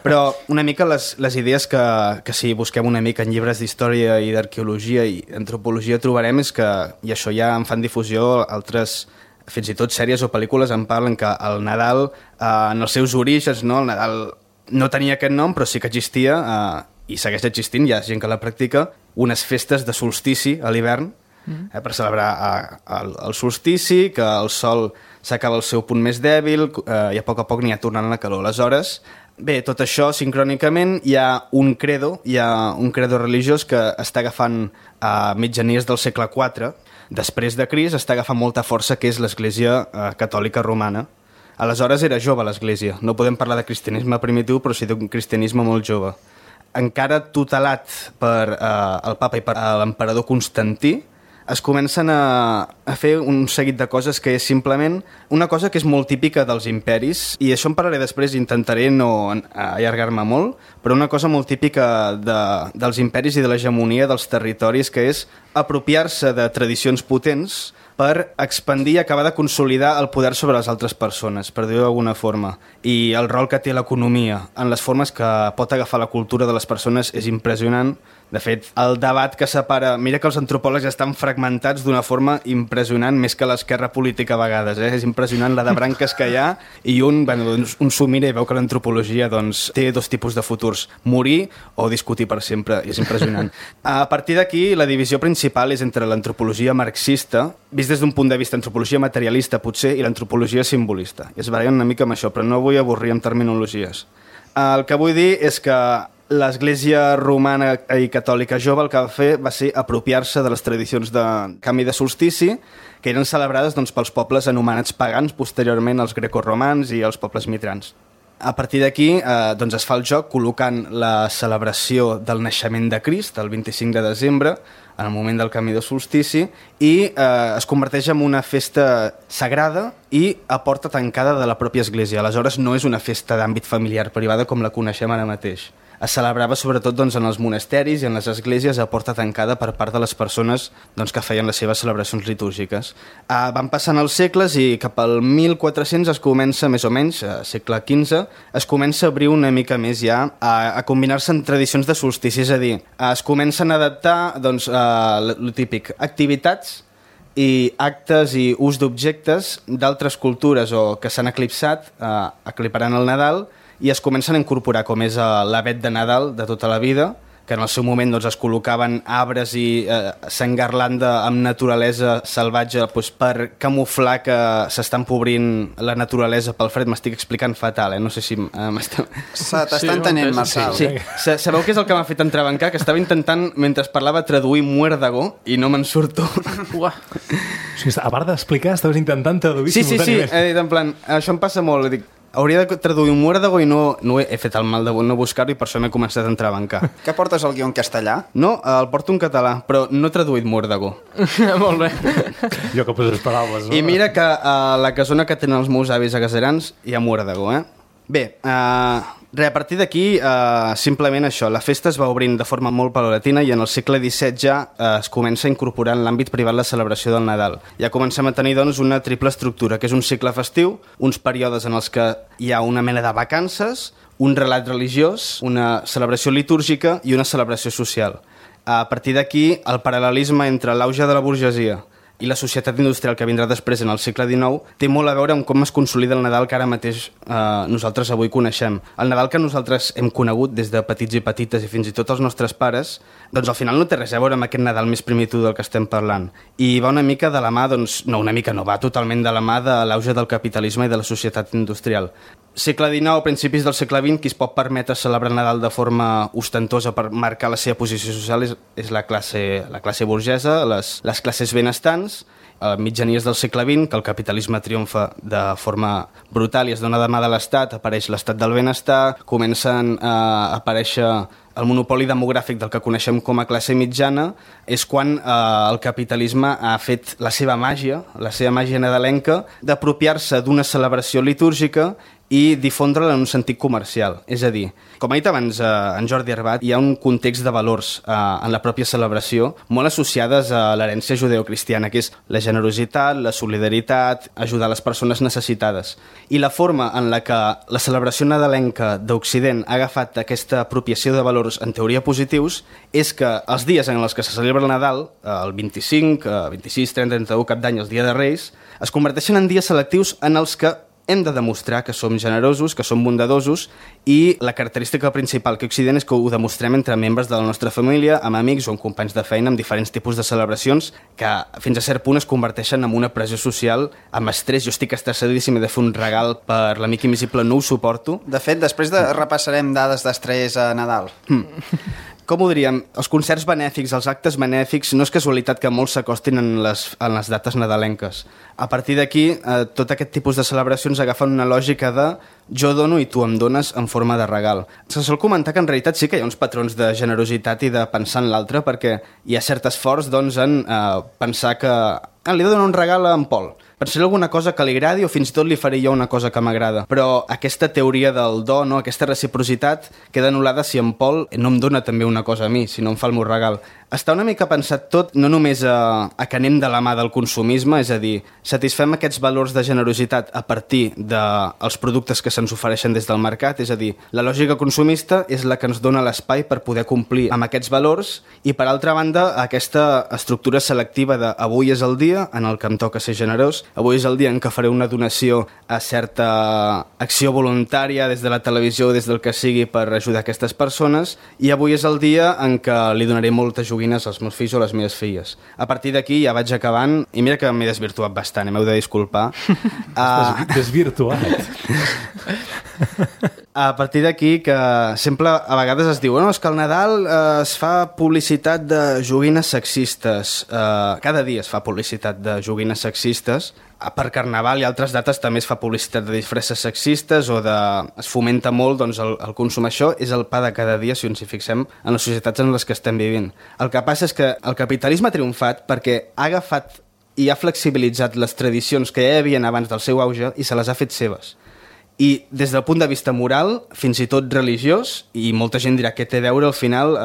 Speaker 5: Però una mica les idees que si busquem una mica en llibres d'història i d'arqueologia i antropologia trobarem és que, i això ja en fan difusió altres... fins i tot sèries o pel·lícules en parlen que el Nadal, en els seus orígens, no? El Nadal no tenia aquest nom, però sí que existia, i segueix existint, hi ha gent que la practica, unes festes de solstici a l'hivern, per celebrar el solstici, que el sol s'acaba al seu punt més dèbil, i a poc n'hi ha tornant a la calor. Aleshores, bé, tot això, sincrònicament, hi ha un credo religiós que està agafant a mitjanies del segle IV, després de Crist, està agafant molta força, que és l'Església Catòlica Romana. Aleshores era jove l'Església. No podem parlar de cristianisme primitiu, però sí d'un cristianisme molt jove. encara tutelat per el papa i per l'emperador Constantí, es comencen a fer un seguit de coses que és simplement una cosa que és molt típica dels imperis, i això en parlaré després, intentaré no allargar-me molt, però una cosa molt típica dels imperis i de l'hegemonia dels territoris, que és apropiar-se de tradicions potents per expandir i acabar de consolidar el poder sobre les altres persones, per dir-ho d'alguna forma. I el rol que té l'economia en les formes que pot agafar la cultura de les persones és impressionant. De fet, el debat que separa... Mira que els antropòlegs estan fragmentats d'una forma impressionant, més que l'esquerra política a vegades. És impressionant la de branques que hi ha, i un s'ho mira i veu que l'antropologia té dos tipus de futurs: morir o discutir per sempre. I és impressionant. A partir d'aquí, la divisió principal és entre l'antropologia marxista, vist des d'un punt de vista antropologia materialista, potser, i l'antropologia simbolista. I es barallen una mica amb això, però no vull avorrir amb terminologies. El que vull dir és que l'Església romana i catòlica jove el que va fer va ser apropiar-se de les tradicions de canvi de solstici, que eren celebrades pels pobles anomenats pagans, posteriorment els grecorromans i els pobles mitrans. A partir d'aquí es fa el joc col·locant la celebració del naixement de Crist el 25 de desembre, en el moment del canvi de solstici, i es converteix en una festa sagrada i a porta tancada de la pròpia església. Aleshores no és una festa d'àmbit familiar privada com la coneixem ara mateix. Es celebrava sobretot en els monasteris i en les esglésies a porta tancada per part de les persones que feien les seves celebracions litúrgiques. Van passant els segles i cap al 1400 es comença, més o menys, segle XV, es comença a obrir una mica més ja a combinar-se en tradicions de solstici, és a dir, es comencen a adaptar, el típic, activitats i actes i ús d'objectes d'altres cultures o que s'han eclipsat, ecliparant el Nadal, i es comencen a incorporar, com és l'avet de Nadal de tota la vida, que en el seu moment es col·locaven arbres i s'engarlanda amb naturalesa salvatge per camuflar que s'està empobrint la naturalesa pel fred. M'estic explicant fatal, no sé si m'està...
Speaker 2: T'està entenent, Marçal.
Speaker 5: Sí. Sabeu què és el que m'ha fet entrebancar? Que estava intentant, mentre parlava, traduir muérdago i no me'n surto.
Speaker 3: Uah. O sigui, a part d'explicar, estaves intentant traduir simultàniament.
Speaker 5: Sí, he dit en plan, això em passa molt, dic, hauria de traduir un muérdago i no he fet el mal de no buscar-ho i per això m'he començat a entrebancar.
Speaker 2: Què portes el guió en castellà?
Speaker 5: No, el porto en català, però no he traduït muérdago.
Speaker 4: Molt bé.
Speaker 3: Jo que poses paraules, no?
Speaker 5: I mira que a la casona que tenen els meus avis a Gaserans hi ha muérdago, Bé, a partir d'aquí, simplement això, la festa es va obrint de forma molt paulatina i en el segle XVII ja es comença a incorporar en l'àmbit privat la celebració del Nadal. Ja comencem a tenir, una triple estructura, que és un cicle festiu, uns períodes en els que hi ha una mena de vacances, un relat religiós, una celebració litúrgica i una celebració social. A partir d'aquí, el paral·lelisme entre l'auge de la burgesia i la societat industrial que vindrà després en el segle XIX té molt a veure amb com es consolida el Nadal que ara mateix nosaltres avui coneixem. El Nadal que nosaltres hem conegut des de petits i petites i fins i tot els nostres pares, al final no té res a veure amb aquest Nadal més primitiu del que estem parlant. I va una mica de la mà, va totalment de la mà de l'auge del capitalisme i de la societat industrial. Segle XIX, principis del segle XX, qui es pot permetre celebrar el Nadal de forma ostentosa per marcar la seva posició social és la classe burgesa, les classes benestants. A mitjanies del segle XX, que el capitalisme triomfa de forma brutal i es dona de mà de l'Estat, apareix l'estat del benestar, comencen a aparèixer el monopoli demogràfic del que coneixem com a classe mitjana, és quan el capitalisme ha fet la seva màgia nadalenca, d'apropiar-se d'una celebració litúrgica i difondre-la en un sentit comercial. És a dir, com ha dit abans en Jordi Arbat, hi ha un context de valors en la pròpia celebració molt associades a l'herència judeocristiana, que és la generositat, la solidaritat, ajudar les persones necessitades. I la forma en la que la celebració nadalenca d'Occident ha agafat aquesta apropiació de valors en teoria positius és que els dies en els que se celebra el Nadal, el 25, 26, 30, 31, Cap d'Any, els Dia de Reis, es converteixen en dies selectius en els que hem de demostrar que som generosos, que som bondadosos, i la característica principal que Occident és que ho demostrem entre membres de la nostra família, amb amics o amb companys de feina, amb diferents tipus de celebracions que fins a cert punt es converteixen en una pressió social, amb estrès. Jo estic estressadíssim, he de fer un regal per l'amic invisible, no ho suporto.
Speaker 2: De fet, després repassarem dades d'estrès a Nadal.
Speaker 5: Com ho diríem? Els concerts benèfics, els actes benèfics, no és casualitat que molts s'acostin en les dates nadalenques. A partir d'aquí, tot aquest tipus de celebracions agafen una lògica de jo dono i tu em dones en forma de regal. Se sol comentar que en realitat sí que hi ha uns patrons de generositat i de pensar en l'altre, perquè hi ha cert esforç doncs, en pensar que li he de donar un regal a en Pol. Pensaré alguna cosa que li agradi o fins i tot li faré jo una cosa que m'agrada. Però aquesta teoria del do, no? Aquesta reciprocitat, queda anul·lada si en Pol no em dona també una cosa a mi, si no em fa el meu regal. Està una mica pensat tot, no només a que anem de la mà del consumisme, és a dir, satisfem aquests valors de generositat a partir dels productes que se'ns ofereixen des del mercat, és a dir, la lògica consumista és la que ens dona l'espai per poder complir amb aquests valors i, per altra banda, aquesta estructura selectiva de avui és el dia en el que em toca ser generós, avui és el dia en què faré una donació a certa acció voluntària des de la televisió o des del que sigui per ajudar aquestes persones i avui és el dia en què li donaré moltes joguines als meus fills o les meves filles. A partir d'aquí ja vaig acabant i mira que m'he desvirtuat bastant, m'heu de disculpar.
Speaker 3: Desvirtuat?
Speaker 5: A partir d'aquí que sempre a vegades es diu és que al Nadal es fa publicitat de joguines sexistes. Cada dia es fa publicitat de joguines sexistes. Per Carnaval i altres dates també es fa publicitat de disfresses sexistes o es fomenta molt doncs, el consum. Això és el pa de cada dia si ens hi fixem en les societats en les que estem vivint. El que passa és que el capitalisme ha triomfat perquè ha agafat i ha flexibilitzat les tradicions que ja hi havia abans del seu auge i se les ha fet seves. I des del punt de vista moral, fins i tot religiós, i molta gent dirà que té a veure al final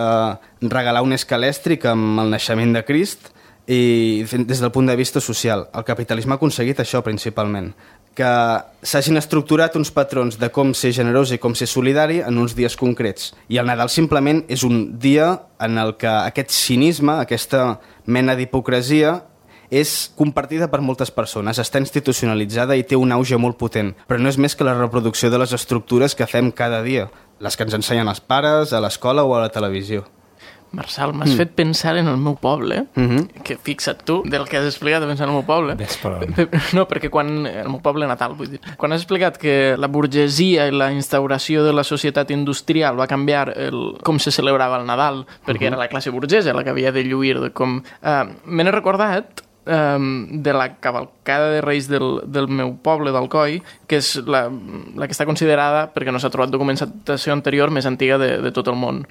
Speaker 5: regalar un escalèstric amb el naixement de Crist, i des del punt de vista social. El capitalisme ha aconseguit això principalment, que s'hagin estructurat uns patrons de com ser generós i com ser solidari en uns dies concrets. I el Nadal simplement és un dia en el que aquest cinisme, aquesta mena d'hipocresia, és compartida per moltes persones, està institucionalitzada i té un auge molt potent, però no és més que la reproducció de les estructures que fem cada dia, les que ens ensenyen els pares, a l'escola o a la televisió.
Speaker 4: Marçal, m'has fet pensar en el meu poble, que fixa't tu, del que has explicat de pensar en el meu poble. No, perquè quan... El meu poble natal, vull dir. Quan has explicat que la burgesia i la instauració de la societat industrial va canviar com se celebrava el Nadal, perquè era la classe burgesa la que havia de lluir de com... Me n'he recordat de la cavalcada de Reis del meu poble, d'Alcoi, que és la que està considerada, perquè no s'ha trobat documentació anterior, més antiga de tot el món.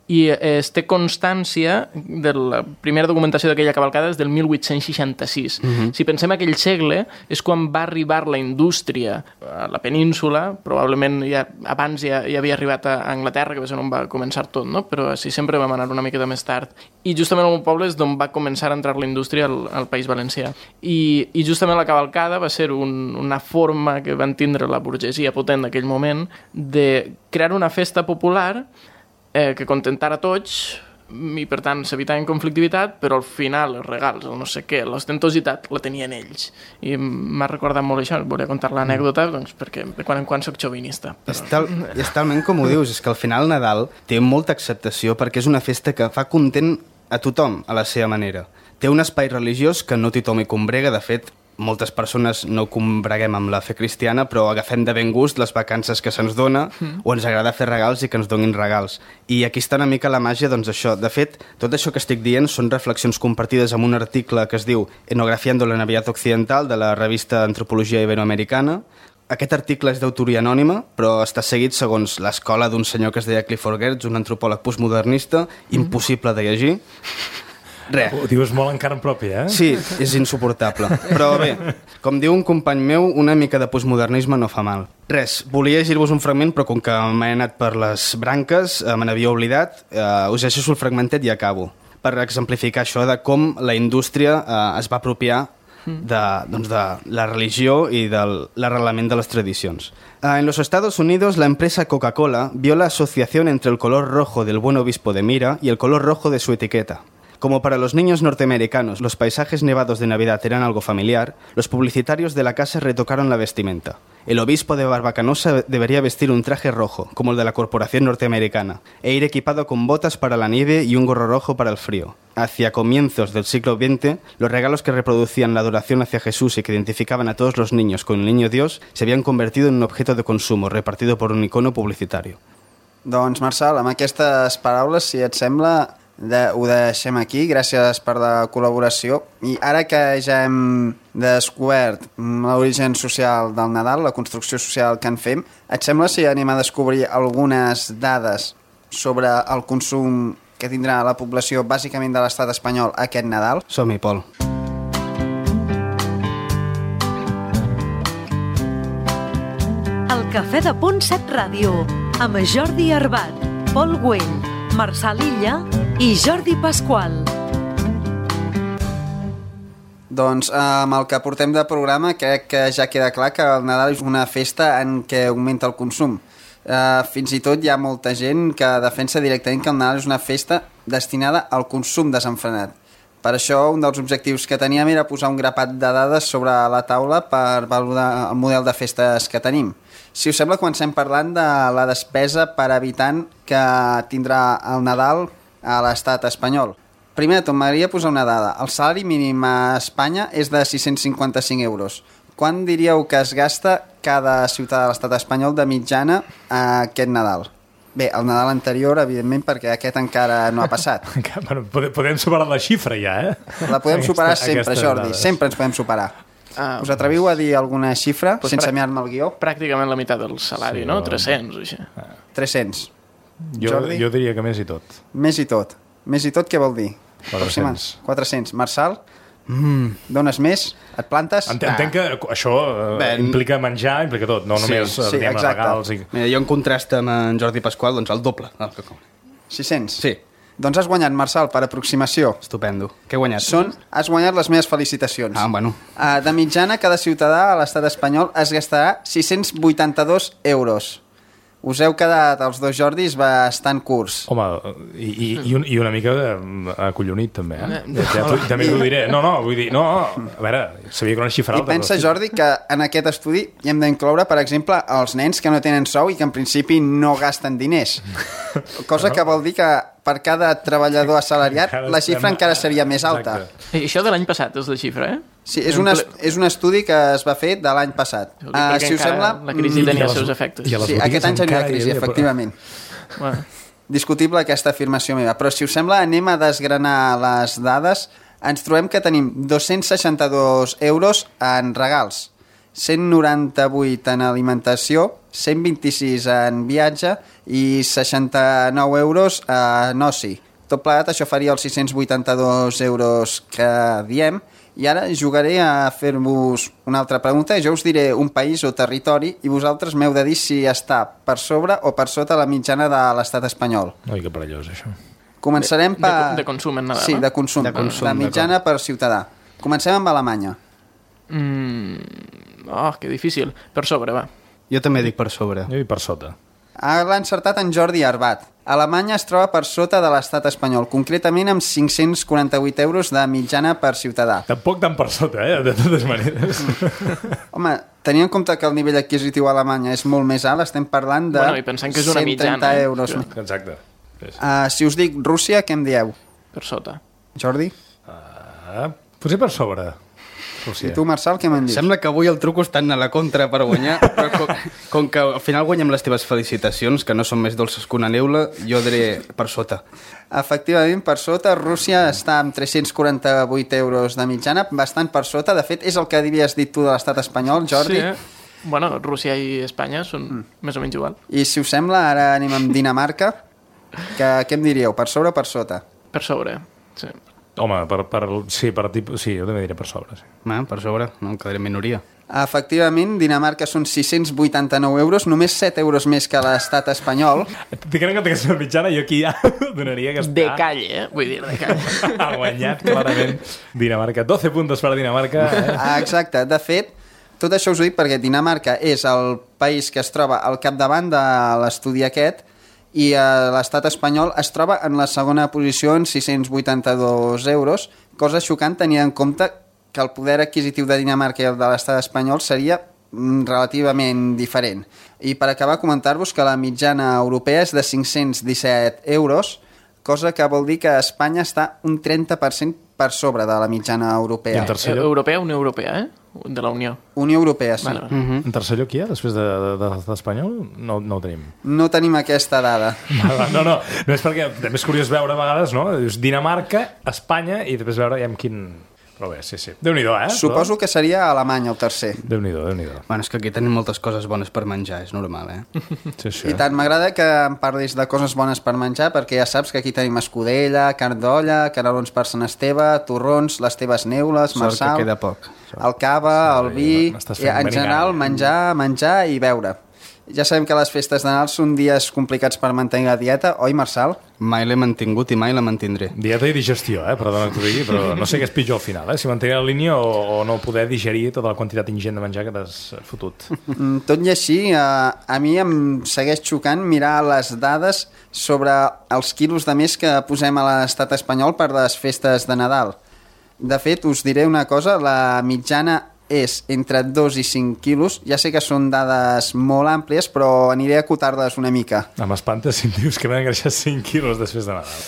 Speaker 4: I es té constància de la primera documentació d'aquella cavalcada és del 1866. Si pensem aquell segle, és quan va arribar la indústria a la península, probablement abans ja havia arribat a Anglaterra, que va ser on va començar tot, no? Però així sempre vam anar una miqueta més tard. I justament el meu poble és d'on va començar a entrar la indústria al País Valencià. I justament la cavalcada va ser una forma que van tindre la burgesia potent d'aquell moment de crear una festa popular que contentara tots i per tant s'evitaven conflictivitat, però al final els regals, el no sé què, l'ostentositat la tenien ells. I m'ha recordat molt això, volia contar l'anècdota doncs, perquè de quan en quan soc xovinista. Però...
Speaker 5: És talment com ho dius, és que al final Nadal té molta acceptació perquè és una festa que fa content a tothom a la seva manera. Té un espai religiós que no tothom hi combrega, de fet moltes persones no combreguem amb la fe cristiana, però agafem de ben gust les vacances que se'ns dona o ens agrada fer regals i que ens donin regals. I aquí està una mica la màgia, doncs això. De fet, tot això que estic dient són reflexions compartides amb un article que es diu Enografiando la Navidad Occidental, de la revista Antropologia Iberoamericana. Aquest article és d'autoria anònima, però està seguit segons l'escola d'un senyor que es deia Clifford Geertz, un antropòleg postmodernista, impossible de llegir. Res.
Speaker 3: Ho dius molt en carn pròpia, eh?
Speaker 5: Sí, és insuportable. Però bé, com diu un company meu, una mica de postmodernisme no fa mal. Res, volia llegir-vos un fragment, però com que m'he anat per les branques, me n'havia oblidat, us llegeixo el fragmentet i acabo, per exemplificar això de com la indústria es va apropiar de la religió y del arreglament de las tradicions. En los Estados Unidos, la empresa Coca-Cola vio la asociación entre el color rojo del buen obispo de Mira y el color rojo de su etiqueta. Como para los niños norteamericanos los paisajes nevados de Navidad eran algo familiar, los publicitarios de la casa retocaron la vestimenta. El obispo de Barbacanosa debería vestir un traje rojo, como el de la corporación norteamericana, e ir equipado con botas para la nieve y un gorro rojo para el frío. Hacia comienzos del siglo XX, los regalos que reproducían la adoración hacia Jesús y que identificaban a todos los niños con el niño Dios se habían convertido en un objeto de consumo repartido por un icono publicitario.
Speaker 2: Doncs, Marçal, amb aquestes paraules, si et sembla, ho deixem aquí. Gràcies per la col·laboració. I ara que ja hem descobert l'origen social del Nadal, la construcció social que en fem, et sembla si anem a descobrir algunes dades sobre el consum que tindrà la població bàsicament de l'estat espanyol aquest Nadal?
Speaker 5: Som-hi, Pol.
Speaker 1: El Cafè de Punt 7 Ràdio, amb Jordi Arbat, Pol Güell, Marçal Illa i Jordi Pasqual.
Speaker 2: Doncs amb el que portem de programa crec que ja queda clar que el Nadal és una festa en què augmenta el consum. Fins i tot hi ha molta gent que defensa directament que el Nadal és una festa destinada al consum desenfrenat. Per això, un dels objectius que teníem era posar un grapat de dades sobre la taula per valorar el model de festes que tenim. Si us sembla, comencem parlant de la despesa per habitant que tindrà el Nadal a l'estat espanyol. Primer de tot, m'agradaria posar una dada. El salari mínim a Espanya és de 655 euros. Quan diríeu que es gasta cada ciutadà de l'estat espanyol de mitjana aquest Nadal? Bé, el Nadal anterior, evidentment, perquè aquest encara no ha passat.
Speaker 3: Bueno, podem superar la xifra ja,
Speaker 2: La podem superar sempre, Jordi. Sempre ens podem superar. Us atreviu a dir alguna xifra, sense mirar-me el guió?
Speaker 4: Pràcticament la meitat del salari, no? 300 o així.
Speaker 2: 300.
Speaker 3: Jordi? Jo diria que més i tot.
Speaker 2: Més i tot. Més i tot què vol dir?
Speaker 3: 400.
Speaker 2: 400. Marçal? Dones més? Et plantes?
Speaker 3: Entenc que això implica menjar, implica tot, no només regals.
Speaker 5: Mira, jo en contrast amb en Jordi Pasqual, doncs el doble.
Speaker 2: 600?
Speaker 5: Sí.
Speaker 2: Doncs has guanyat, Marçal, per aproximació.
Speaker 5: Estupendo. Què he guanyat?
Speaker 2: Has guanyat les meves felicitacions.
Speaker 5: Bueno.
Speaker 2: De mitjana, cada ciutadà a l'estat espanyol es gastarà 682 euros. Us heu quedat, els dos Jordis, bastant curts.
Speaker 3: Home, i una mica acollonit, també, també t'ho diré. Vull dir, a veure, sabia que era una xifra alta.
Speaker 2: I pensa, Jordi, que en aquest estudi hi hem d'incloure, per exemple, els nens que no tenen sou i que en principi no gasten diners. Cosa que vol dir que per cada treballador assalariat la xifra encara seria més alta.
Speaker 4: I això de l'any passat és la xifra,
Speaker 2: Sí, és un estudi que es va fer de l'any passat.
Speaker 4: Si us sembla, la crisi tenia els seus efectes.
Speaker 2: Sí, aquest any ja no hi ha crisi, efectivament. Discutible aquesta afirmació meva. Però si us sembla, anem a desgranar les dades. Ens trobem que tenim 262 euros en regals, 198 en alimentació, 126 en viatge i 69 euros en oci. Tot plegat, això faria els 682 euros que diem. I ara jugaré a fer-vos una altra pregunta. Jo us diré un país o territori i vosaltres m'heu de dir si està per sobre o per sota la mitjana de l'estat espanyol.
Speaker 3: Ai, que perillós, això.
Speaker 2: Començarem per...
Speaker 4: De consum en Nadal,
Speaker 2: Sí, de consum. La mitjana per ciutadà. Comencem amb Alemanya.
Speaker 4: Que difícil. Per sobre, va.
Speaker 5: Jo també dic per sobre.
Speaker 3: Jo dic per sota.
Speaker 2: L'ha encertat en Jordi Arbat. Alemanya es troba per sota de l'estat espanyol, concretament amb 548 euros de mitjana per ciutadà.
Speaker 3: Tampoc tan per sota, de totes maneres.
Speaker 2: Home, tenint en compte que el nivell adquisitiu a Alemanya és molt més alt, estem parlant de
Speaker 4: i pensant que és una
Speaker 2: 130
Speaker 4: mitjana,
Speaker 2: euros.
Speaker 3: Exacte.
Speaker 2: Si us dic Rússia, què em dieu?
Speaker 4: Per sota.
Speaker 2: Jordi?
Speaker 3: Potser per sobre.
Speaker 2: I tu, Marçal, què me'n dius?
Speaker 5: Sembla que avui el truco està a la contra per guanyar, però com que al final guanyem les teves felicitacions, que no són més dolces que una neula, jo diré per sota.
Speaker 2: Efectivament, per sota. Rússia està amb 348 euros de mitjana, bastant per sota. De fet, és el que havies dit tu de l'estat espanyol, Jordi.
Speaker 4: Sí, bueno, Rússia i Espanya són més o menys igual.
Speaker 2: I si us sembla, ara anem amb Dinamarca. Què em diríeu, per sobre o per sota?
Speaker 4: Per sobre, sí.
Speaker 3: Home, sí, jo també diré per sobre. Sí.
Speaker 5: Per sobre, no, em quedaré en minoria.
Speaker 2: Efectivament, Dinamarca són 689 euros, només 7 euros més que l'estat espanyol.
Speaker 3: Tinc en compte que és una mitjana, jo aquí ja donaria que està...
Speaker 4: De calle, vull dir, de calle.
Speaker 3: Ha guanyat, clarament, Dinamarca. 12 puntos per Dinamarca.
Speaker 2: Exacte, de fet, tot això us ho dic perquè Dinamarca és el país que es troba al capdavant de l'estudi aquest, i l'estat espanyol es troba en la segona posició en 682 euros, cosa xocant tenint en compte que el poder adquisitiu de Dinamarca i el de l'estat espanyol seria relativament diferent. I per acabar, comentar-vos que la mitjana europea és de 517 euros, cosa que vol dir que Espanya està un 30% per sobre de la mitjana europea.
Speaker 3: I en tercer lloc?
Speaker 4: Europea, Unió Europea, de la Unió.
Speaker 2: Unió Europea, sí.
Speaker 4: Vale.
Speaker 3: En tercer lloc hi ha, després d'Espanyol? No ho tenim.
Speaker 2: No tenim aquesta dada.
Speaker 3: No és perquè també és curiós veure a vegades, no? Dius Dinamarca, Espanya i després veure ja amb quin... Però bé, sí. Déu-n'hi-do,
Speaker 2: Suposo que seria Alemanya el tercer.
Speaker 3: Déu-n'hi-do.
Speaker 5: Bueno, és que aquí tenim moltes coses bones per menjar, és normal,
Speaker 3: Sí.
Speaker 2: I tant, m'agrada que em parlis de coses bones per menjar, perquè ja saps que aquí tenim escudella, carn d'olla, canelons per Sant Esteve, torrons, les teves neules, Marçal...
Speaker 5: Sort que queda poc.
Speaker 2: El cava, el vi... En general, menjar i beure. Ja sabem que les festes de Nadal són dies complicats per mantenir la dieta, oi, Marçal?
Speaker 5: Mai l'he mantingut i mai la mantindré.
Speaker 3: Dieta i digestió, perdona que t'ho digui, però no sé què és pitjor al final, si mantenir la línia o no poder digerir tota la quantitat ingent de menjar que t'has fotut.
Speaker 2: Tot i així, a mi em segueix xocant mirar les dades sobre els quilos de més que posem a l'estat espanyol per les festes de Nadal. De fet, us diré una cosa, la mitjana és entre 2 i 5 quilos. Ja sé que són dades molt àmplies, però aniré a acotar-les una mica.
Speaker 3: M'espanta si em dius que m'han engreixat 5 quilos després de Nadal.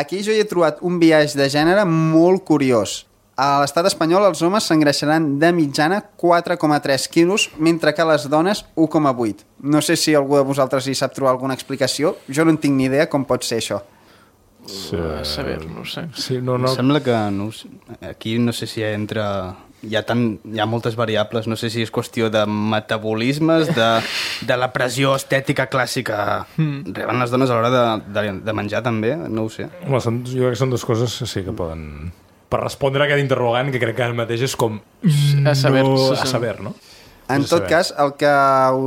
Speaker 2: Aquí jo hi he trobat un biaix de gènere molt curiós. A l'estat espanyol els homes s'engreixaran de mitjana 4,3 quilos, mentre que les dones 1,8. No sé si algú de vosaltres hi sap trobar alguna explicació. Jo no en tinc ni idea com pot ser això.
Speaker 3: Sí.
Speaker 4: A saber, no sé.
Speaker 3: Sí,
Speaker 5: Em sembla que aquí no sé si hi ha moltes variables, no sé si és qüestió de metabolismes, de la pressió estètica clàssica reben les dones a l'hora de menjar també, no ho sé.
Speaker 3: Jo crec que són dues coses que sí que poden... Per respondre a aquest interrogant, que crec que ara mateix és com...
Speaker 4: A saber,
Speaker 3: no?
Speaker 2: En tot cas, el que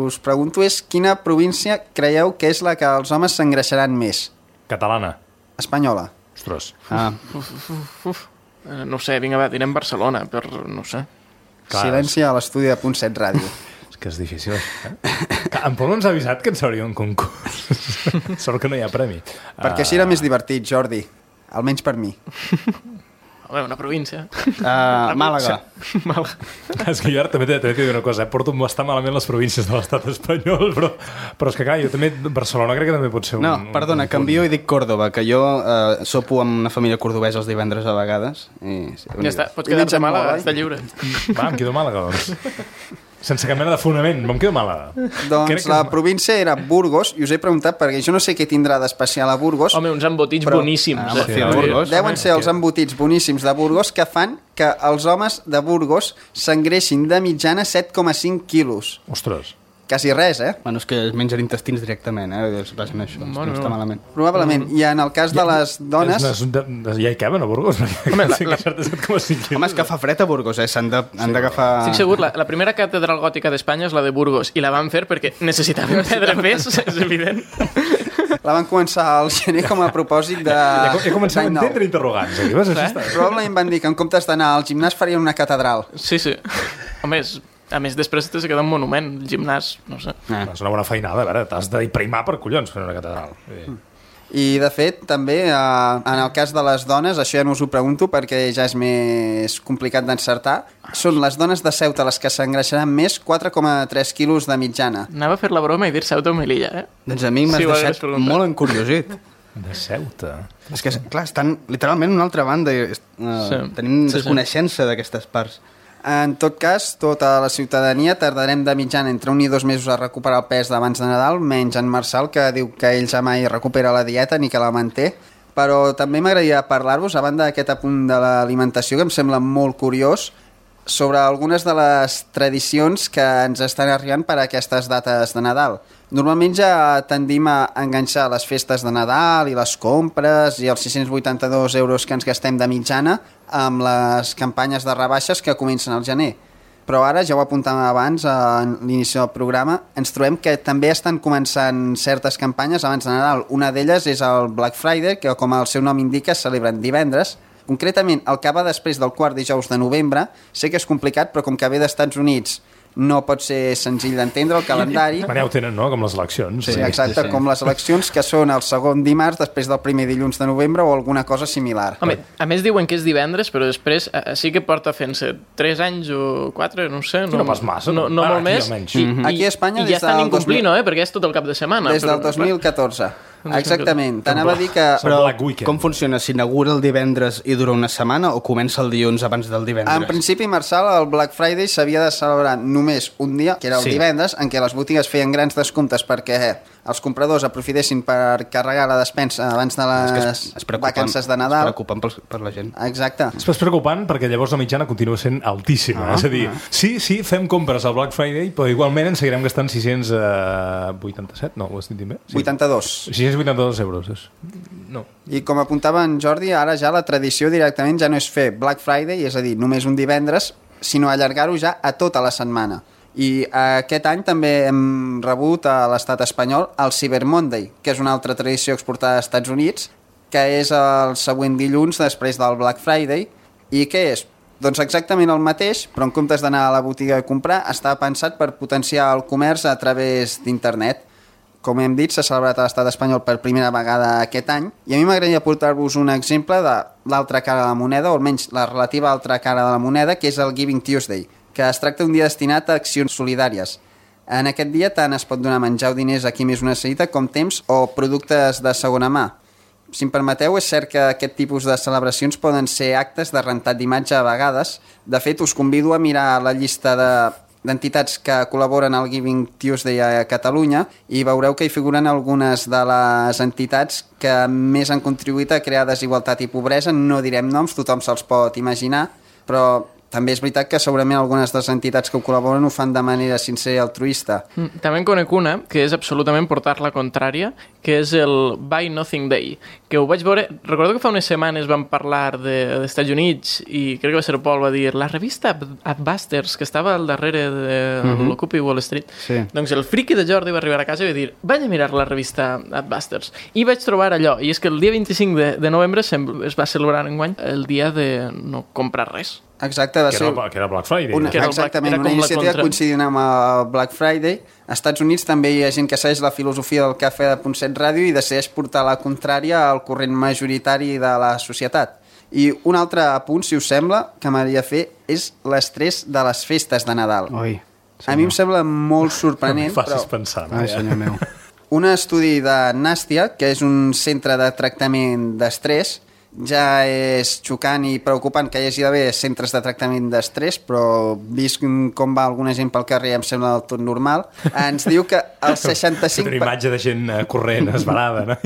Speaker 2: us pregunto és quina província creieu que és la que els homes s'engreixaran més?
Speaker 3: Catalana.
Speaker 2: Espanyola.
Speaker 3: Ostres.
Speaker 4: No sé, vinga, va, direm Barcelona, però no sé.
Speaker 2: Clar, silenci a l'estudi de .7 Ràdio.
Speaker 3: És que és difícil. En Pol ens ha avisat que ens hauria un concurs. Sort que no hi ha premi.
Speaker 2: Perquè així era més divertit, Jordi. Almenys per mi.
Speaker 4: Home, una província.
Speaker 5: Màlaga.
Speaker 3: És que jo ara també t'he de dir una cosa, porto bastant malament les províncies de l'estat espanyol, però és que clar, jo també, Barcelona crec que també pot ser un...
Speaker 5: No, perdona, canvio i dic Còrdoba, que jo sopo amb una família cordobesa els divendres a vegades.
Speaker 4: Ja està, pots quedar-te a Màlaga, està lliure.
Speaker 3: Va, em quedo a Màlaga, doncs. Sense cap mena de fonament, me'n quedo a Màlaga.
Speaker 2: Doncs la província era Burgos, i us he preguntat perquè jo no sé què tindrà d'especial a Burgos.
Speaker 4: Home, uns embotits boníssims.
Speaker 2: Deuen ser els embotits boníssims de Burgos que fan que els homes de Burgos s'engreixin de mitjana 7,5 quilos.
Speaker 3: Ostres.
Speaker 2: Quasi res,
Speaker 5: Bueno, és que es mengen intestins directament, es basen això, no està malament.
Speaker 2: Probablement. I en el cas de les dones...
Speaker 3: Ja hi caben a Burgos?
Speaker 4: Home,
Speaker 5: és que fa fred a Burgos, s'han d'agafar...
Speaker 4: Estic segur, la primera catedral gòtica d'Espanya és la de Burgos, i la van fer perquè necessitaven perdre pes, és evident.
Speaker 2: La van començar al gener com a propòsit de...
Speaker 3: Ja començàvem a entendre interrogants.
Speaker 2: Probablement van dir que en comptes d'anar al gimnàs farien una catedral.
Speaker 4: Sí. Home, a més, després t'has de quedar un monument, el gimnàs, no sé.
Speaker 3: És una bona feinada, a veure, t'has d'imprimar per collons fer una catedral.
Speaker 2: I, de fet, també, en el cas de les dones, això ja no us ho pregunto perquè ja és més complicat d'encertar, són les dones de Ceuta les que s'engreixaran més, 4,3 quilos de mitjana.
Speaker 4: Anava a fer la broma i dir Ceuta o Melilla,
Speaker 5: Doncs a mi m'has deixat molt encuriosit.
Speaker 3: De Ceuta?
Speaker 5: És que, clar, estan literalment a una altra banda i tenim desconeixença d'aquestes parts.
Speaker 2: En tot cas, tota la ciutadania tardarem de mitjana entre 1 i 2 mesos a recuperar el pes d'abans de Nadal, menys en Marçal, que diu que ell ja mai recupera la dieta ni que la manté. Però també m'agradaria parlar-vos, a banda d'aquest apunt de l'alimentació, que em sembla molt curiós, sobre algunes de les tradicions que ens estan arribant per a aquestes dates de Nadal. Normalment ja tendim a enganxar les festes de Nadal i les compres i els 682 euros que ens gastem de mitjana amb les campanyes de rebaixes que comencen al gener. Però ara, ja ho apuntàvem abans a l'inici del programa, ens trobem que també estan començant certes campanyes abans de Nadal. Una d'elles és el Black Friday, que com el seu nom indica es celebren divendres. Concretament, el que va després del quart dijous de novembre, sé que és complicat, però com que ve d'Estats Units no pot ser senzill d'entendre el calendari.
Speaker 3: Ja ho tenen, no?, com les eleccions.
Speaker 2: Sí, exacte, com les eleccions, que són el segon dimarts després del primer dilluns de novembre o alguna cosa similar.
Speaker 4: Home, a més diuen que és divendres, però després sí que porta fent-se 3 anys o 4, no sé.
Speaker 3: No pas massa.
Speaker 4: No molt més.
Speaker 2: Aquí a Espanya
Speaker 4: i ja estan incomplint, perquè és tot el cap de setmana.
Speaker 2: Des del 2014. Exactament, t'anava a dir que...
Speaker 5: Però com funciona? S'inaugura el divendres i dura una setmana o comença el dilluns abans del divendres?
Speaker 2: En principi, Marçal, el Black Friday s'havia de celebrar només un dia, que era el divendres, en què les botigues feien grans descomptes perquè els compradors aprofitessin per carregar la despensa abans de les vacances de Nadal.
Speaker 5: Es preocupen per la gent.
Speaker 2: Exacte.
Speaker 3: És preocupant perquè llavors la mitjana continua sent altíssima. És a dir, sí, fem compres al Black Friday, però igualment ens seguirem gastant 687, no, ho has dit bé? Sí.
Speaker 2: 82.
Speaker 3: 682 euros. No.
Speaker 2: I com apuntava en Jordi, ara ja la tradició directament ja no és fer Black Friday, és a dir, només un divendres, sinó allargar-ho ja a tota la setmana. I aquest any també hem rebut a l'estat espanyol el Cyber Monday, que és una altra tradició exportada als Estats Units, que és el següent dilluns després del Black Friday. I què és? Doncs exactament el mateix, però en comptes d'anar a la botiga a comprar, està pensat per potenciar el comerç a través d'internet. Com hem dit, s'ha celebrat a l'estat espanyol per primera vegada aquest any, i a mi m'agradaria portar-vos un exemple de l'altra cara de la moneda, o almenys la relativa altra cara de la moneda, que és el Giving Tuesday, que es tracta d'un dia destinat a accions solidàries. En aquest dia tant es pot donar menjar o diners a qui més ho necessita com temps o productes de segona mà. Si em permeteu, és cert que aquest tipus de celebracions poden ser actes de rentat d'imatge a vegades. De fet, us convido a mirar la llista d'entitats que col·laboren al Giving Tuesday a Catalunya i veureu que hi figuren algunes de les entitats que més han contribuït a crear desigualtat i pobresa. No direm noms, tothom se'ls pot imaginar, però també és veritat que segurament algunes de les entitats que ho col·laboren ho fan de manera sincera i altruista.
Speaker 4: També en conec una que és absolutament portar la contrària, que és el Buy Nothing Day, que ho vaig veure... Recordo que fa unes setmanes vam parlar dels Estats Units i crec que va ser Paul, va dir la revista Adbusters, que estava al darrere de l'Occupy Wall Street.
Speaker 5: Sí.
Speaker 4: Doncs el friki de Jordi va arribar a casa i va dir vaig a mirar la revista Adbusters. I vaig trobar allò, i és que el dia 25 de novembre es va celebrar enguany el dia de no comprar res.
Speaker 2: Exacte, va ser...
Speaker 3: Que era Black Friday.
Speaker 2: Exactament, una iniciativa coincidint amb el Black Friday. Als Estats Units també hi ha gent que segueix la filosofia del Cafè de Punt 7 Ràdio i decideix portar la contrària al corrent majoritari de la societat. I un altre apunt, si us sembla, que m'agradaria fer és l'estrès de les festes de Nadal.
Speaker 5: Oi,
Speaker 2: a mi em sembla molt sorprenent,
Speaker 3: no facis pensar.
Speaker 5: Ai, senyor meu.
Speaker 2: Un estudi de Nàstia, que és un centre de tractament d'estrès, ja és xocant i preocupant que hi hagi d'haver centres de tractament d'estrès, però vist com va alguna gent pel carrer em sembla del tot normal. Ens diu que el 65...
Speaker 3: Una imatge de gent corrent, esbarada, no?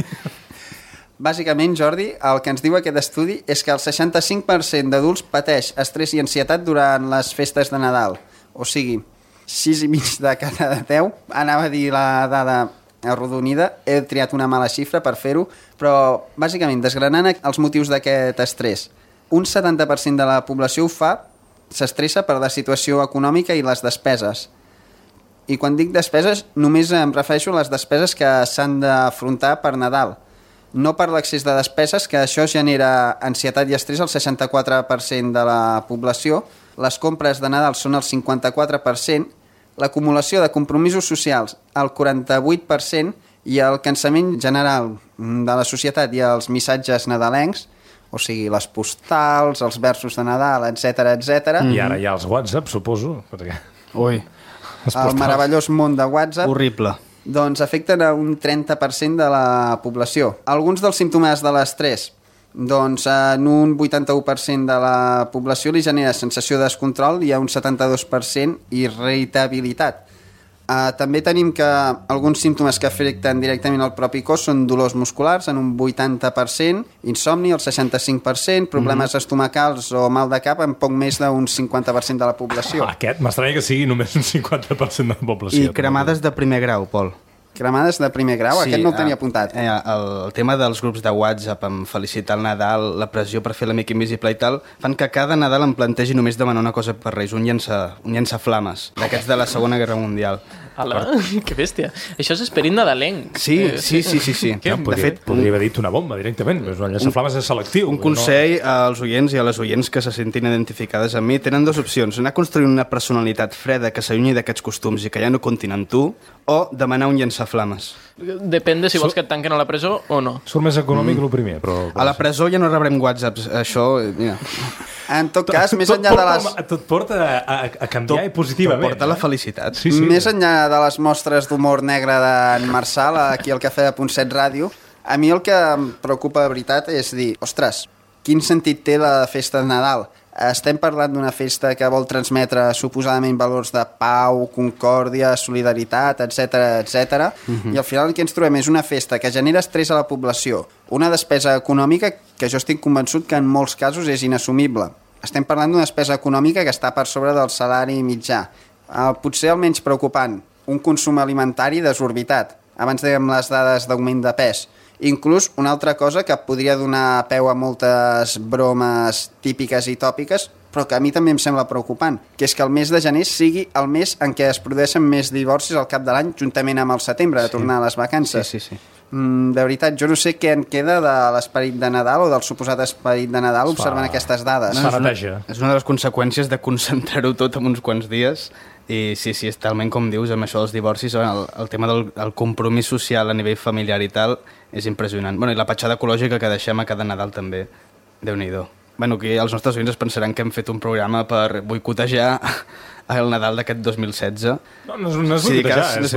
Speaker 2: Bàsicament, Jordi, el que ens diu aquest estudi és que el 65% d'adults pateix estrès i ansietat durant les festes de Nadal. O sigui, 6,5 de cada 10, anava a dir la dada arrodonida, he triat una mala xifra per fer-ho, però bàsicament desgranant els motius d'aquest estrès. Un 70% de la població ho fa, s'estressa per la situació econòmica i les despeses. I quan dic despeses, només em refereixo a les despeses que s'han d'afrontar per Nadal. No per l'excés de despeses, que això genera ansietat i estrès al 64% de la població. Les compres de Nadal són el 54%, l'acumulació de compromisos socials al 48% i el cansament general de la societat i els missatges nadalencs, o sigui, les postals, els versos de Nadal, etc.
Speaker 3: I ara hi ha els WhatsApp, suposo. Perquè...
Speaker 5: Ui.
Speaker 2: El meravellós món de WhatsApp.
Speaker 5: Horrible.
Speaker 2: Doncs afecten a un 30% de la població. Alguns dels símptomes de l'estrès, doncs en un 81% de la població li genera sensació de descontrol i hi ha un 72% irritabilitat. També tenim que alguns símptomes que afecten directament al propi cos són dolors musculars en un 80%, insomni el 65%, problemes estomacals o mal de cap en poc més d'un 50% de la població.
Speaker 3: Aquest m'estranya que sigui només un 50% de la població.
Speaker 5: I cremades de primer grau, Pol.
Speaker 2: Cremades de primer grau? Sí, aquest no el tenia apuntat.
Speaker 5: El tema dels grups de WhatsApp amb felicitar el Nadal, la pressió per fer l'amic invisible i tal, fan que cada Nadal em plantegi només demanar una cosa per Reis, un llançaflames, d'aquests de la Segona Guerra Mundial.
Speaker 4: Ala, que bèstia. Això és esperit nadalenc.
Speaker 5: Sí.
Speaker 3: De fet, podria haver dit una bomba directament, però un llançaflames és selectiu.
Speaker 5: Un consell als oients i a les oients que se sentin identificades amb mi. Tenen dues opcions, anar construint una personalitat freda que s'allunyi d'aquests costums i que ja no comptin amb tu, o demanar un llançaflames.
Speaker 4: Depèn de si vols que et tanquen a la presó o no.
Speaker 3: Surt més econòmic el primer, però...
Speaker 5: A la presó ja no rebrem whatsapps, això... Ja.
Speaker 2: En tot cas, més enllà de les...
Speaker 3: Tot porta a canviar i positivament.
Speaker 5: Tot porta la felicitat.
Speaker 2: Sí. Més enllà de les mostres d'humor negre d'en Marçal, aquí al Cafè de Punt 7 Ràdio, A mi el que em preocupa de veritat és dir, ostres, quin sentit té la festa de Nadal? Estem parlant d'una festa que vol transmetre suposadament valors de pau, concòrdia, solidaritat, etc. I al final el que ens trobem és una festa que genera estrès a la població, una despesa econòmica que jo estic convençut que en molts casos és inassumible. Estem parlant d'una despesa econòmica que està per sobre del salari mitjà. Potser el menys preocupant, un consum alimentari desorbitat. Abans dèiem les dades d'augment de pes. Inclús una altra cosa que podria donar peu a moltes bromes típiques i tòpiques, però que a mi també em sembla preocupant, que és que el mes de gener sigui el mes en què es produeixen més divorcis al cap de l'any, juntament amb el setembre, de tornar a les vacances.
Speaker 5: Sí.
Speaker 2: De veritat, jo no sé què en queda de l'esperit de Nadal o del suposat esperit de Nadal observant aquestes dades.
Speaker 6: És
Speaker 5: una de les conseqüències de concentrar-ho tot en uns quants dies. I sí, és talment com dius, amb això dels divorcis, el tema del compromís social a nivell familiar i tal és impressionant. I la petjada ecològica que deixem a cada Nadal també, Déu-n'hi-do. Aquí els nostres oients es pensaran que hem fet un programa per boicotejar el Nadal d'aquest 2016.
Speaker 3: No és boicotejar, és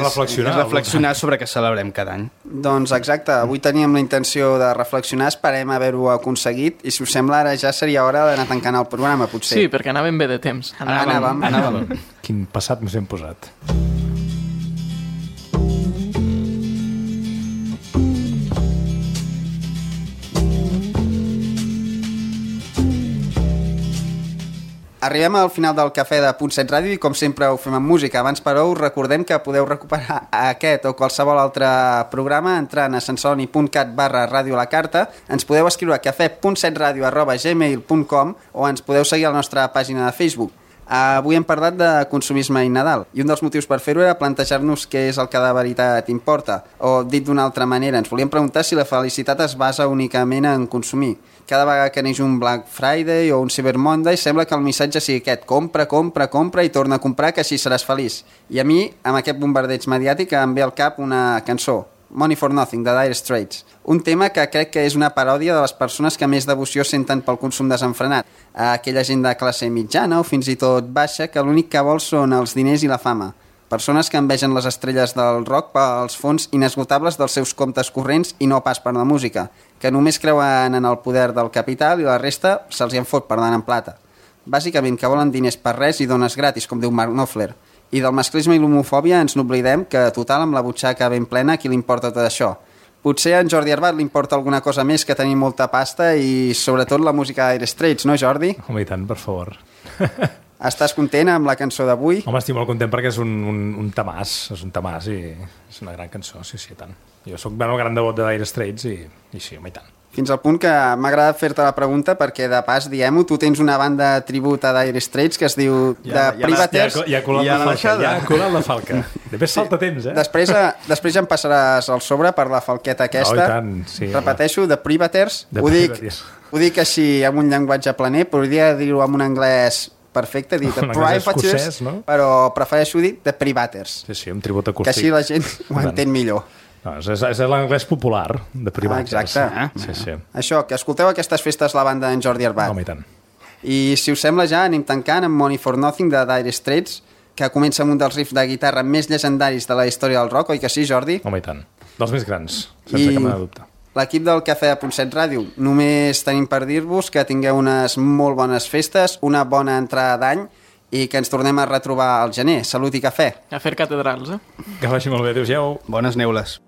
Speaker 3: reflexionar.
Speaker 5: És reflexionar sobre què celebrem cada any.
Speaker 2: Doncs exacte, avui teníem la intenció de reflexionar, esperem haver-ho aconseguit, i si us sembla ara ja seria hora d'anar tancant el programa, potser.
Speaker 4: Sí, perquè anàvem bé de temps.
Speaker 2: Anàvem.
Speaker 3: Quin passat ens hem posat.
Speaker 2: Arribem al final del Cafè de .7 Ràdio i com sempre ho fem amb música. Abans, però, us recordem que podeu recuperar aquest o qualsevol altre programa entrant a sensoni.cat/ràdio la carta. Ens podeu escriure a cafè.setradio@gmail.com o ens podeu seguir a la nostra pàgina de Facebook. Avui hem parlat de consumisme i Nadal i un dels motius per fer-ho era plantejar-nos què és el que de veritat importa, o dit d'una altra manera, ens volíem preguntar si la felicitat es basa únicament en consumir. Cada vegada que neix un Black Friday o un Cyber Monday sembla que el missatge sigui aquest: compra i torna a comprar, que així seràs feliç. I a mi, amb aquest bombardeig mediàtic, em ve al cap una cançó, Money for Nothing, de Dire Straits. Un tema que crec que és una paròdia de les persones que més devoció senten pel consum desenfrenat. Aquella gent de classe mitjana o fins i tot baixa que l'únic que vol són els diners i la fama. Persones que envegen les estrelles del rock pels fons inesgotables dels seus comptes corrents i no pas per la música, que només creuen en el poder del capital i la resta se'ls en fot per d'anar en plata. Bàsicament que volen diners per res i dones gratis, com diu Mark Knopfler. I del masclisme i l'homofòbia ens n'oblidem, que total amb la butxaca ben plena a qui li importa tot això. Potser a en Jordi Arbat li importa alguna cosa més que tenir molta pasta i sobretot la música d'Aire Straits, no Jordi?
Speaker 3: Home, i tant, per favor.
Speaker 2: Estàs content amb la cançó d'avui?
Speaker 3: Home, estic molt content perquè és un temàs, i és una gran cançó, sí, i tant. Jo soc un gran devot d'Aire Straits i sí, home, i tant.
Speaker 2: Fins al punt que m'ha agradat fer-te la pregunta perquè, de pas, diem-ho, tu tens una banda tribut a Dire Straits que es diu The Privateers.
Speaker 3: Ja ha colat la falca. Després salta temps,
Speaker 2: Després ja em passaràs el sobre per la falqueta aquesta.
Speaker 3: No, i tant, sí.
Speaker 2: Repeteixo, The Privateers. Ho dic així amb un llenguatge planer, podria dir-ho amb un anglès perfecte, dir The Privateers, no? Però prefereixo dir The Privateers.
Speaker 3: Sí, un tribut acústic.
Speaker 2: Que així la gent ho entén millor.
Speaker 3: No, és l'anglès popular, de privat.
Speaker 2: Exacte.
Speaker 3: Sí.
Speaker 2: Això, que escolteu aquestes festes la banda d'en Jordi Arbat.
Speaker 3: Home, i tant.
Speaker 2: I si us sembla ja anem tancant amb Money for Nothing de Dire Straits, que comença amb un dels riffs de guitarra més llegendaris de la història del rock, oi que sí, Jordi?
Speaker 3: Home, i tant. Dels més grans, sense cap mena de dubte.
Speaker 2: L'equip del Cafè de .7 Ràdio, només tenim per dir-vos que tingueu unes molt bones festes, una bona entrada d'any i que ens tornem a retrobar al gener. Salut i cafè.
Speaker 4: A fer catedrals,
Speaker 3: Que vagi molt bé, adéu-siau.
Speaker 5: Bones neules.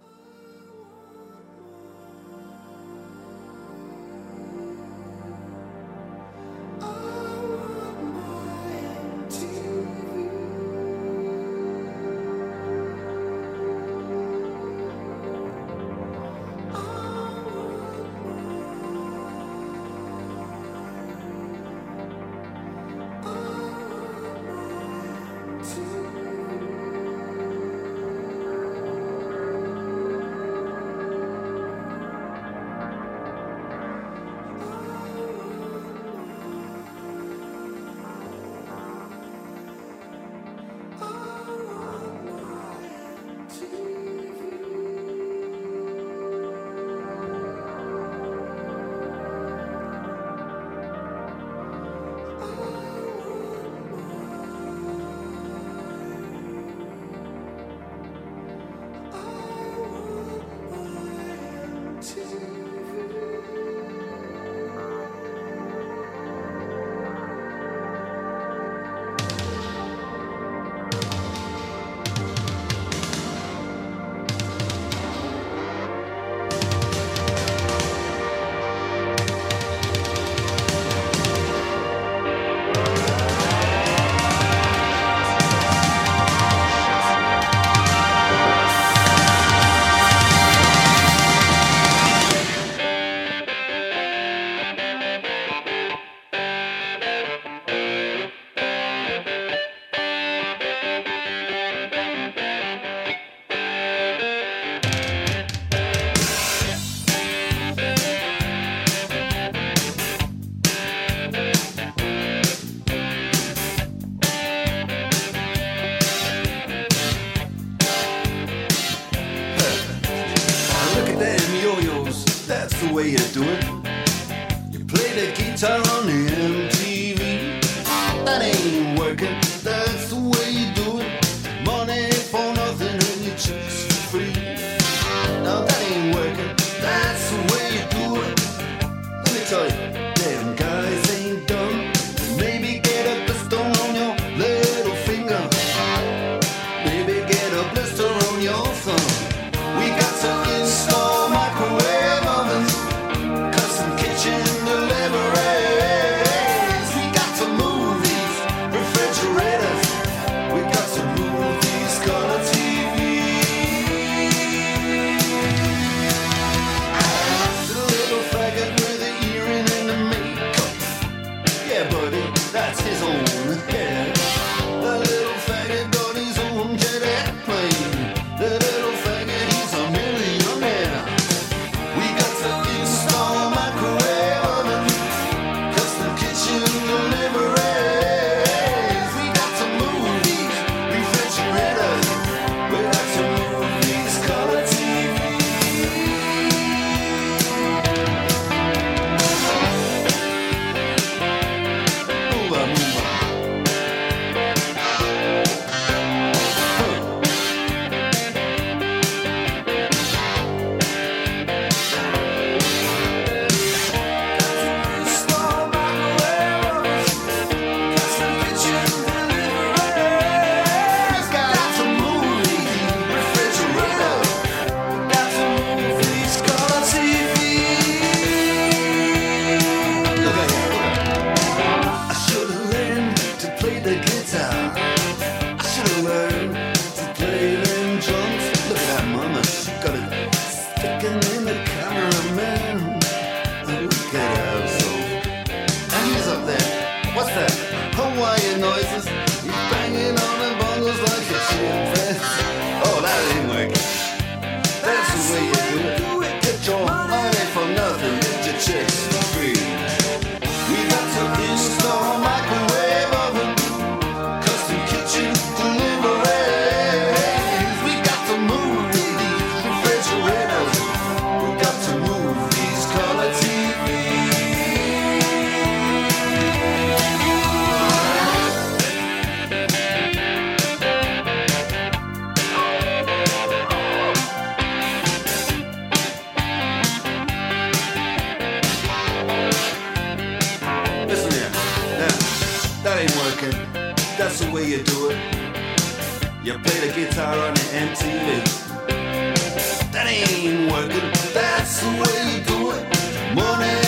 Speaker 7: play the guitar on the MTV. That ain't working, that's the way you do it. Money for nothing and your chicks for free. Now that ain't working, that's the way you do it. Let me tell you, them guys ain't dumb. Maybe get a blister on your little finger. Maybe get a blister on your thumb. We got to install microwave ovens, custom kitchen deliveries. We got to move these refrigerators. We got to move these color TVs. The little faggot with the earring and the makeup. Yeah, buddy, that's his own hair. The little faggot got his own jet airplane. The little faggot, he's a millionaire. We got to install microwave oven, custom kitchen deliveries. We got to move these refrigerators. We got to move these color TVs. Move on, move on. Install microwave ovens, custom kitchen deliveries. Got to move these refrigerators. Got to move these color TVs. Look at here, look at here. I should have learned to play the guitar. I should have learned to play them drums. Look at that mama, she got it sticking in the cameraman. Look at her, so. And he's up there. What's that? Hawaiian noises. He's banging on the bongos like a chimpanzee. Oh, that ain't working. That's the way you do it. Get your money for nothing. Get your chicks for free. We got to install microwave oven, custom kitchen deliveries. We got to move these refrigerators. We got to move these color TVs. Listen here, now, that ain't working. That's the way you do it. You play the guitar on the MTV. That ain't working. That's the way you do it. Money